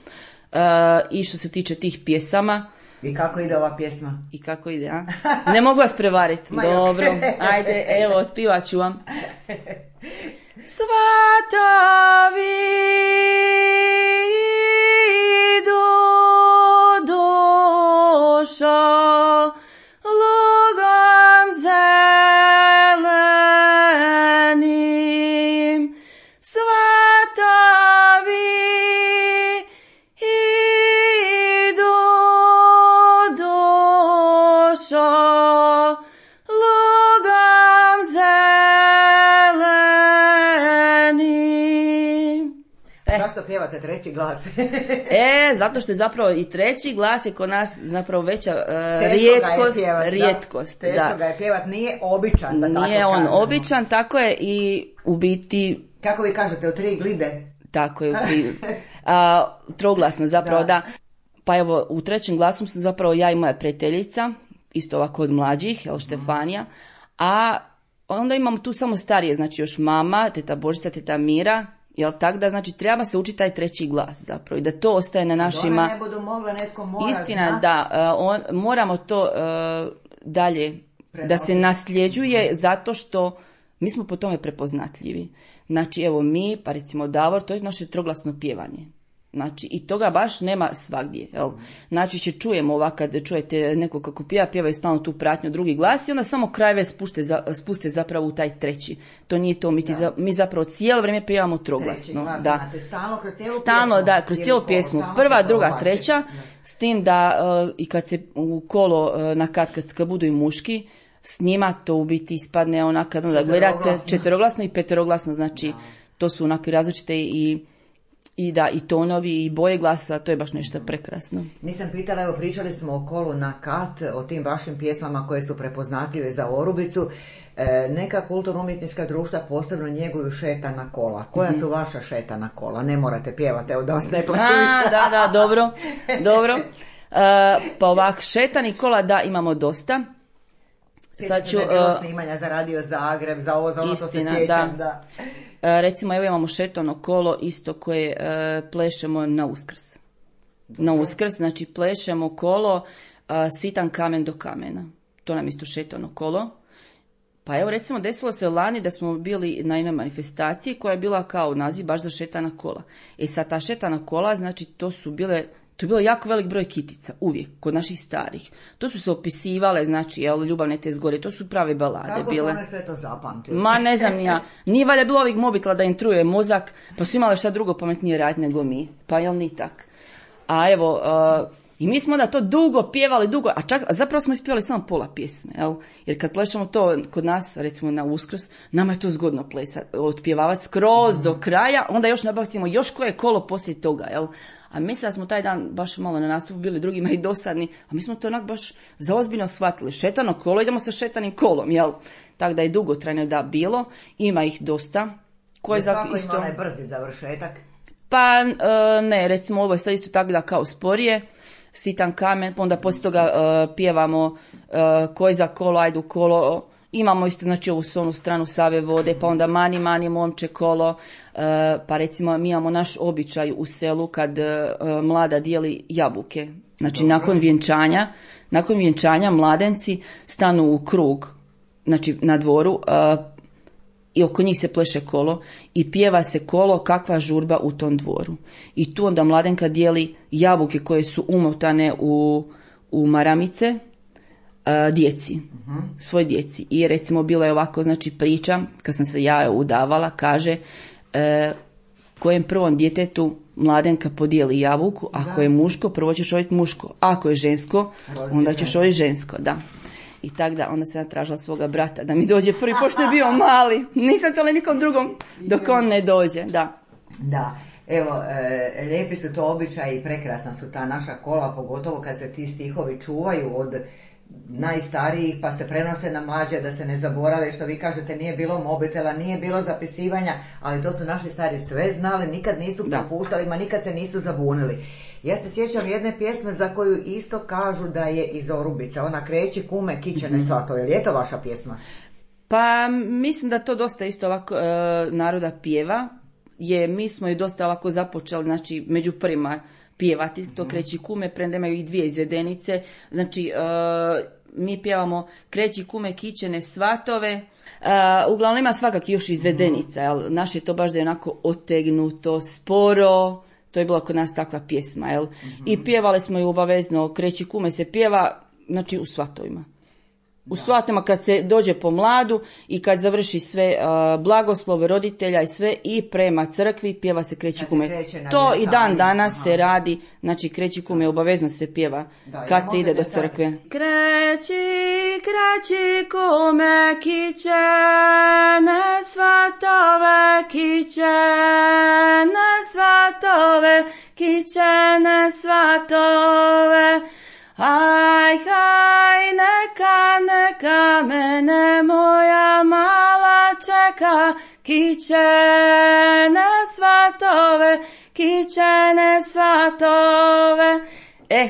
I što se tiče tih pjesama. I kako ide ova pjesma? I kako ide, a? Ne mogu vas prevariti. Dobro, ajde, evo, otpivat ću vam. Svatovi idu dušo, lugom zelenim, svatovi idu dušo, lugom zelenim. Zašto pjevate treći glas? Zato što je zapravo i treći glas je kod nas zapravo veća rijetkost. Teško ga je pjevat, nije običan, da tako nije on kažemo. običan, tako je i u biti... Kako vi kažete, u 3 glide? Tako je, u 3. Troglasno zapravo, da. Pa evo, u trećem glasu sam zapravo ja i moja prijateljica, isto ovako od mlađih, Štefanija, a onda imamo tu samo starije, znači još mama, teta Božica, teta Mira, jel tak da, znači treba se učiti taj treći glas zapravo i da to ostaje na našima... One ne budu mogla, netko mora Istina, zna. da, moramo to dalje da se nasljeđuje zato što mi smo po tome prepoznatljivi. Znači evo mi, pa recimo Davor, to je naše troglasno pjevanje. Znači, i toga baš nema svagdje, jel? Znači, čujemo ovak, kad čujete neko kako pjeva i stalno tu pratnju drugi glas i onda samo krajeve spuste zapravo u taj treći. To nije to, mi zapravo cijelo vrijeme pjevamo troglasno. Treći glas, da. znate, stalno kroz cijelu Stalno, pjesmu. da, kroz cijelu pjesmu. Prva, druga, treća, s tim da i kad se u kolo kad budu i muški, s njima to u biti ispadne onako da gledate četveroglasno i peteroglasno, znači to su onako različite i tonovi i boje glasa, to je baš nešto prekrasno. Nisam pitala, evo pričali smo o kolu na kat, o tim vašim pjesmama koje su prepoznatljive za Orubicu. Neka kulturno-umjetnička društva posebno njeguju šetana kola. Koja su vaša šetana kola? Ne morate pjevati, evo da vas ne plašuju. Da, dobro. Pa ovak, šetani kola, da, imamo dosta. Sad ću, bilo snimanja za Radio Zagreb, za ovo, za ono istina, što se sjećam. Da. Recimo, evo imamo šetano kolo isto koje plešemo na Uskrs. Na Uskrs, znači plešemo kolo sitan kamen do kamena. To nam isto šetano kolo. Pa evo recimo desilo se lani da smo bili na jednoj manifestaciji koja je bila kao naziv baš za šetana kola. Sad ta šetana kola, znači to je bilo jako velik broj kitica, uvijek, kod naših starih. To su se opisivale, znači, ljubavne te zgode, to su prave balade kako bile. Kako su one sve to zapamtile? Ma ne znam ni ja. Nije valjda bilo ovih mobitela da im truje mozak, pa su imali šta drugo pametnije raditi nego mi. Pa jel ni tak. A evo, i mi smo onda to dugo pjevali, a zapravo smo ispjevali samo pola pjesme, jel? Jer kad plešamo to kod nas, recimo na Uskrs, nama je to zgodno plesati, otpjevavati skroz do kraja, onda još nabavimo još koje kolo poslije toga, jel? A mislim da smo taj dan baš malo na nastupu bili drugima i dosadni, a mi smo to onak baš zaozbiljno shvatili. Šetano kolo, idemo sa šetanim kolom, jel? Tako da je dugotrajno da bilo, ima ih dosta. Svako ima onaj brzi završetak? Pa ne, recimo ovo je sad isto tako da kao sporije, sitan kamen, pa onda poslije toga pjevamo koji za kolo, ajdu kolo, imamo isto znači ovu onu stranu Save vode, pa onda mani momče kolo, pa recimo mi imamo naš običaj u selu kad mlada dijeli jabuke, znači nakon vjenčanja mladenci stanu u krug, znači na dvoru, i oko njih se pleše kolo i pjeva se kolo kakva žurba u tom dvoru. I tu onda mladenka dijeli jabuke koje su umotane u maramice djeci, svoj djeci. I recimo bila je ovako znači priča, kad sam se ja udavala, kaže kojem prvom djetetu mladenka podijeli jabuku, ako je muško, prvo ćeš odjeti muško, ako je žensko, onda ćeš odjeti žensko, da. I tak da, onda sam tražila svoga brata da mi dođe prvi, pošto je bio mali. Nisam tole nikom drugom dok on ne dođe, da. Da, evo, lijepi su to običaji i prekrasna su ta naša kola, pogotovo kad se ti stihovi čuvaju od najstarijih pa se prenose na mlađe da se ne zaborave, što vi kažete nije bilo mobitela, nije bilo zapisivanja, ali to su naši stari sve znali, nikad nisu propuštali, ma nikad se nisu zabunili. Ja se sjećam jedne pjesme za koju isto kažu da je iz Orubice, ona Kreći kume kićene svatove, je li je to vaša pjesma? Pa mislim da to dosta isto ovako naroda pjeva, mi smo ju dosta ovako započeli, znači među prvima pjevati, to Kreći kume, premda imaju i dvije izvedenice, znači mi pjevamo Kreći kume kićene svatove, uglavnom ima svakak još izvedenica, jel? Naše je to baš da je onako otegnuto, sporo, to je bila kod nas takva pjesma, jel? I pjevali smo ju obavezno, Kreći kume se pjeva, znači u svatovima. U svatima kad se dođe po mladu i kad završi sve blagoslov roditelja i sve i prema crkvi pjeva se Kreći kume. To i dan danas se radi, znači Kreći kume obavezno se pjeva kad se ide do crkve. Kreći kume kićene svatove, kićene svatove, kićene svatove. Aj, haj, neka mene moja mala čeka, kićene svatove, kićene svatove.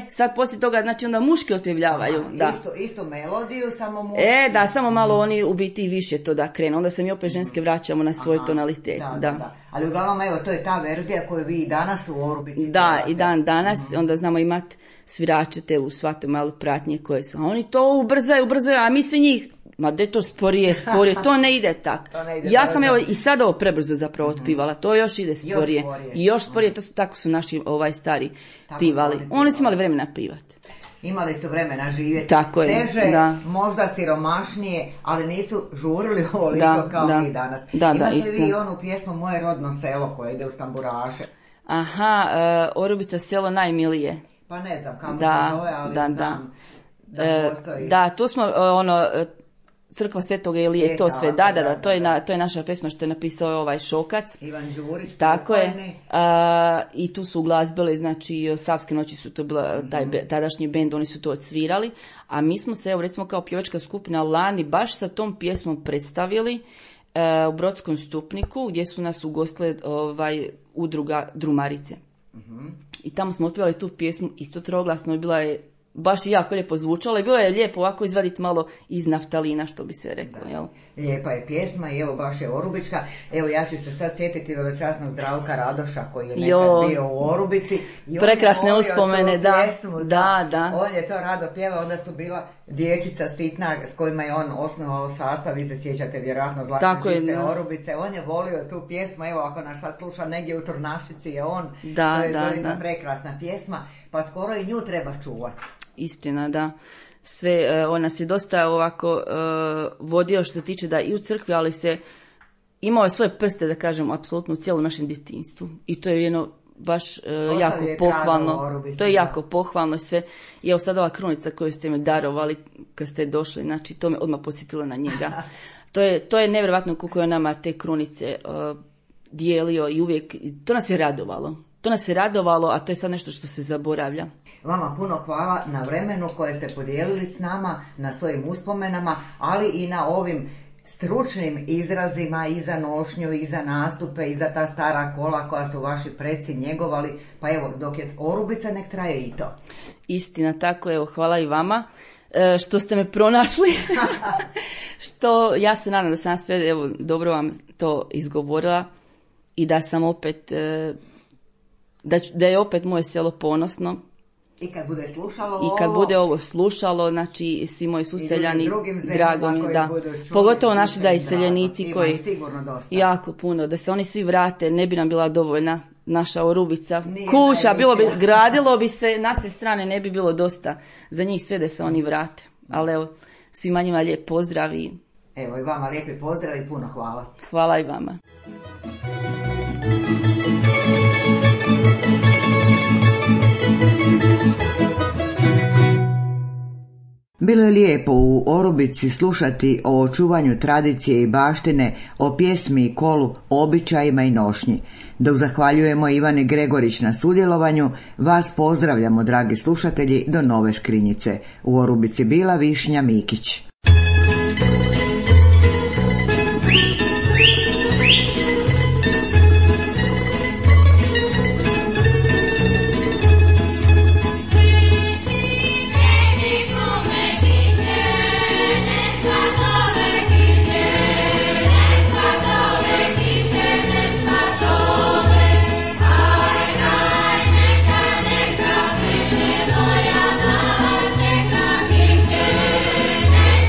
Sad poslije toga, znači onda muški otpjevljavaju. Da. Istu melodiju, samo muški. Da, samo malo oni u biti više to da krenu. Onda se mi opet ženske vraćamo na svoj tonalitet. Da. Ali uglavnom, evo, to je ta verzija koju vi i danas u Orubici. Da, i dan danas, onda znamo imati svirače te u svatom malo pratnje koje su. A oni to ubrzaju, a mi sve njih Ma de to sporije, to ne ide tak. Ja sam evo i sad ovo prebrzo zapravo otpivala, to još ide sporije. I još sporije, tako su naši stari pivali. Oni su imali vremena pivati. Imali su vremena živjeti. Tako je, teže, da. Možda siromašnije, ali nisu žurili ovoliko kao mi danas. Imate vi onu pjesmu Moje rodno selo koja ide uz tamburaše? Aha, Orubica selo najmilije. Pa ne znam kako se zove, ali znam da postoji. Da, tu smo Crkva Svetoga Ilije, to sve, da, to je naša pesma što je napisao Šokac. Ivan Đurić. Tako je. I tu su uglazbili, znači Savske noći su to bila tadašnji bend, oni su to odsvirali, a mi smo se, evo recimo kao pjevačka skupina lani, baš sa tom pjesmom predstavili u Brodskom Stupniku, gdje su nas ugostile udruga Drumarice. I tamo smo otpjevali tu pjesmu, isto troglasno, i bila je baš i jako lijepo zvučalo i bilo je lijepo ovako izvaditi malo iz naftalina, što bi se reklo. Jel? Lijepa je pjesma i evo baš je Orubička. Evo ja ću se sad sjetiti veličasnog Zdravka Radoša koji je nekad bio u Orubici. I prekrasne uspomene, da. Pjesmu, da. On je to rado pjevao, onda su bila dječica sitna s kojima je on osnovao sastav, vi se sjećate vjerojatno Zlatne žice Orubice. On je volio tu pjesmu, evo ako nas sad sluša negdje u Turnašici je on. To je doista prekrasna pjesma, pa skoro i nju treba čuvati. Istina, da. Sve, on nas je dosta ovako vodio što se tiče da i u crkvi, ali se imao je svoje prste, da kažem, apsolutno u cijelom našem djetinjstvu. I to je jedno baš jako pohvalno. To je jako pohvalno i sve. I evo sad ova krunica koju ste me darovali kad ste došli, znači to me odmah posjetilo na njega. To je nevjerojatno koliko je nama te krunice dijelio i uvijek, to nas je radovalo. To nas je radovalo, a to je sad nešto što se zaboravlja. Vama puno hvala na vremenu koje ste podijelili s nama, na svojim uspomenama, ali i na ovim stručnim izrazima i za nošnju, i za nastupe, i za ta stara kola koja su vaši preci njegovali. Pa evo, dok je Orubica, nek traje i to. Istina, tako, evo, hvala i vama što ste me pronašli. Što ja se nadam da sam sve, evo, dobro vam to izgovorila i da sam opet... Da je opet moje selo ponosno. I kad bude slušalo I kad bude ovo slušalo, znači svi moji suseljani, drago mi, da. Pogotovo naši da iseljenici koji jako puno, da se oni svi vrate, ne bi nam bila dovoljna naša Orubica. Kuća, gradilo bi se, na sve strane ne bi bilo dosta za njih sve da se oni vrate. Ali evo, svima njima lijep pozdrav i... Evo i vama lijepi pozdrav i puno hvala. Hvala i vama. Bilo je lijepo u Orubici slušati o očuvanju tradicije i baštine, o pjesmi i kolu, običajima i nošnji. Dok zahvaljujemo Ivani Gregorić na sudjelovanju, vas pozdravljamo, dragi slušatelji, do nove Škrinjice. U Orubici bila Višnja Mikić. Ne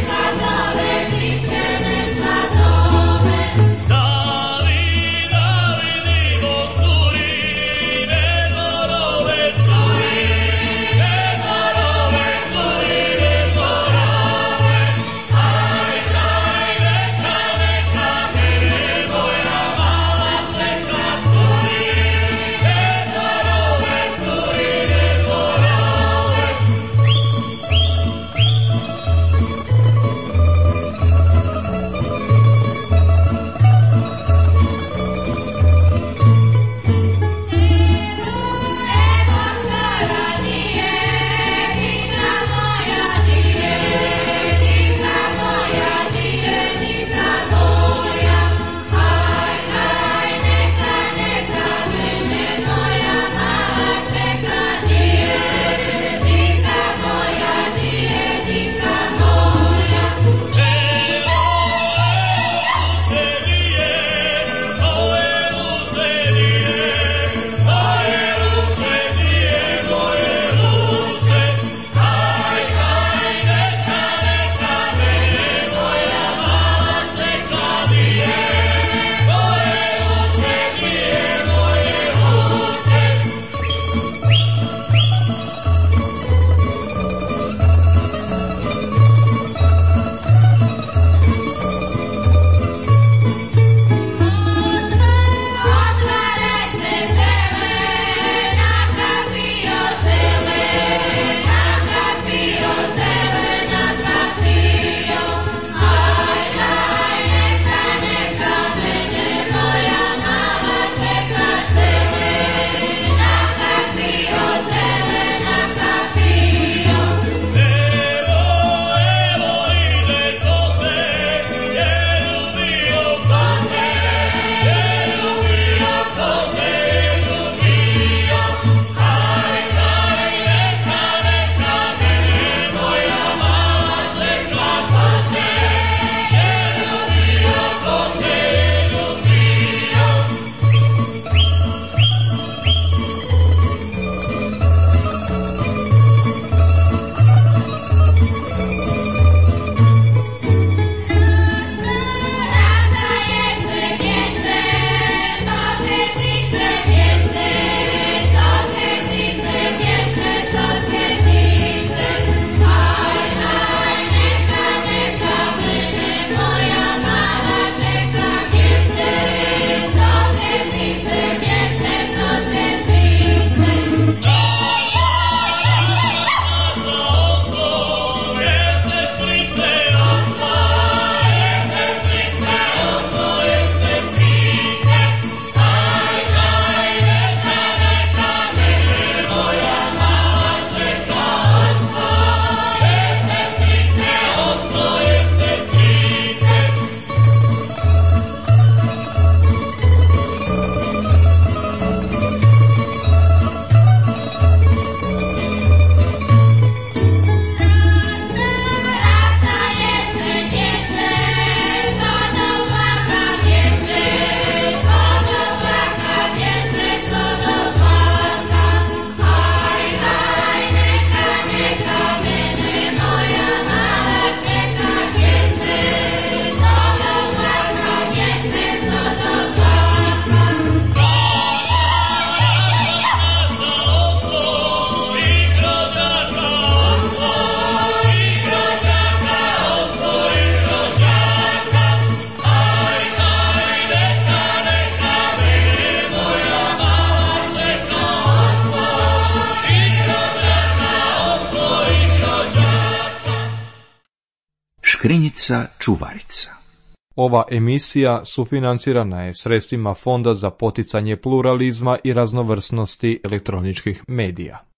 Škrinjica čuvarica. Ova emisija sufinancirana je sredstvima Fonda za poticanje pluralizma i raznovrsnosti elektroničkih medija.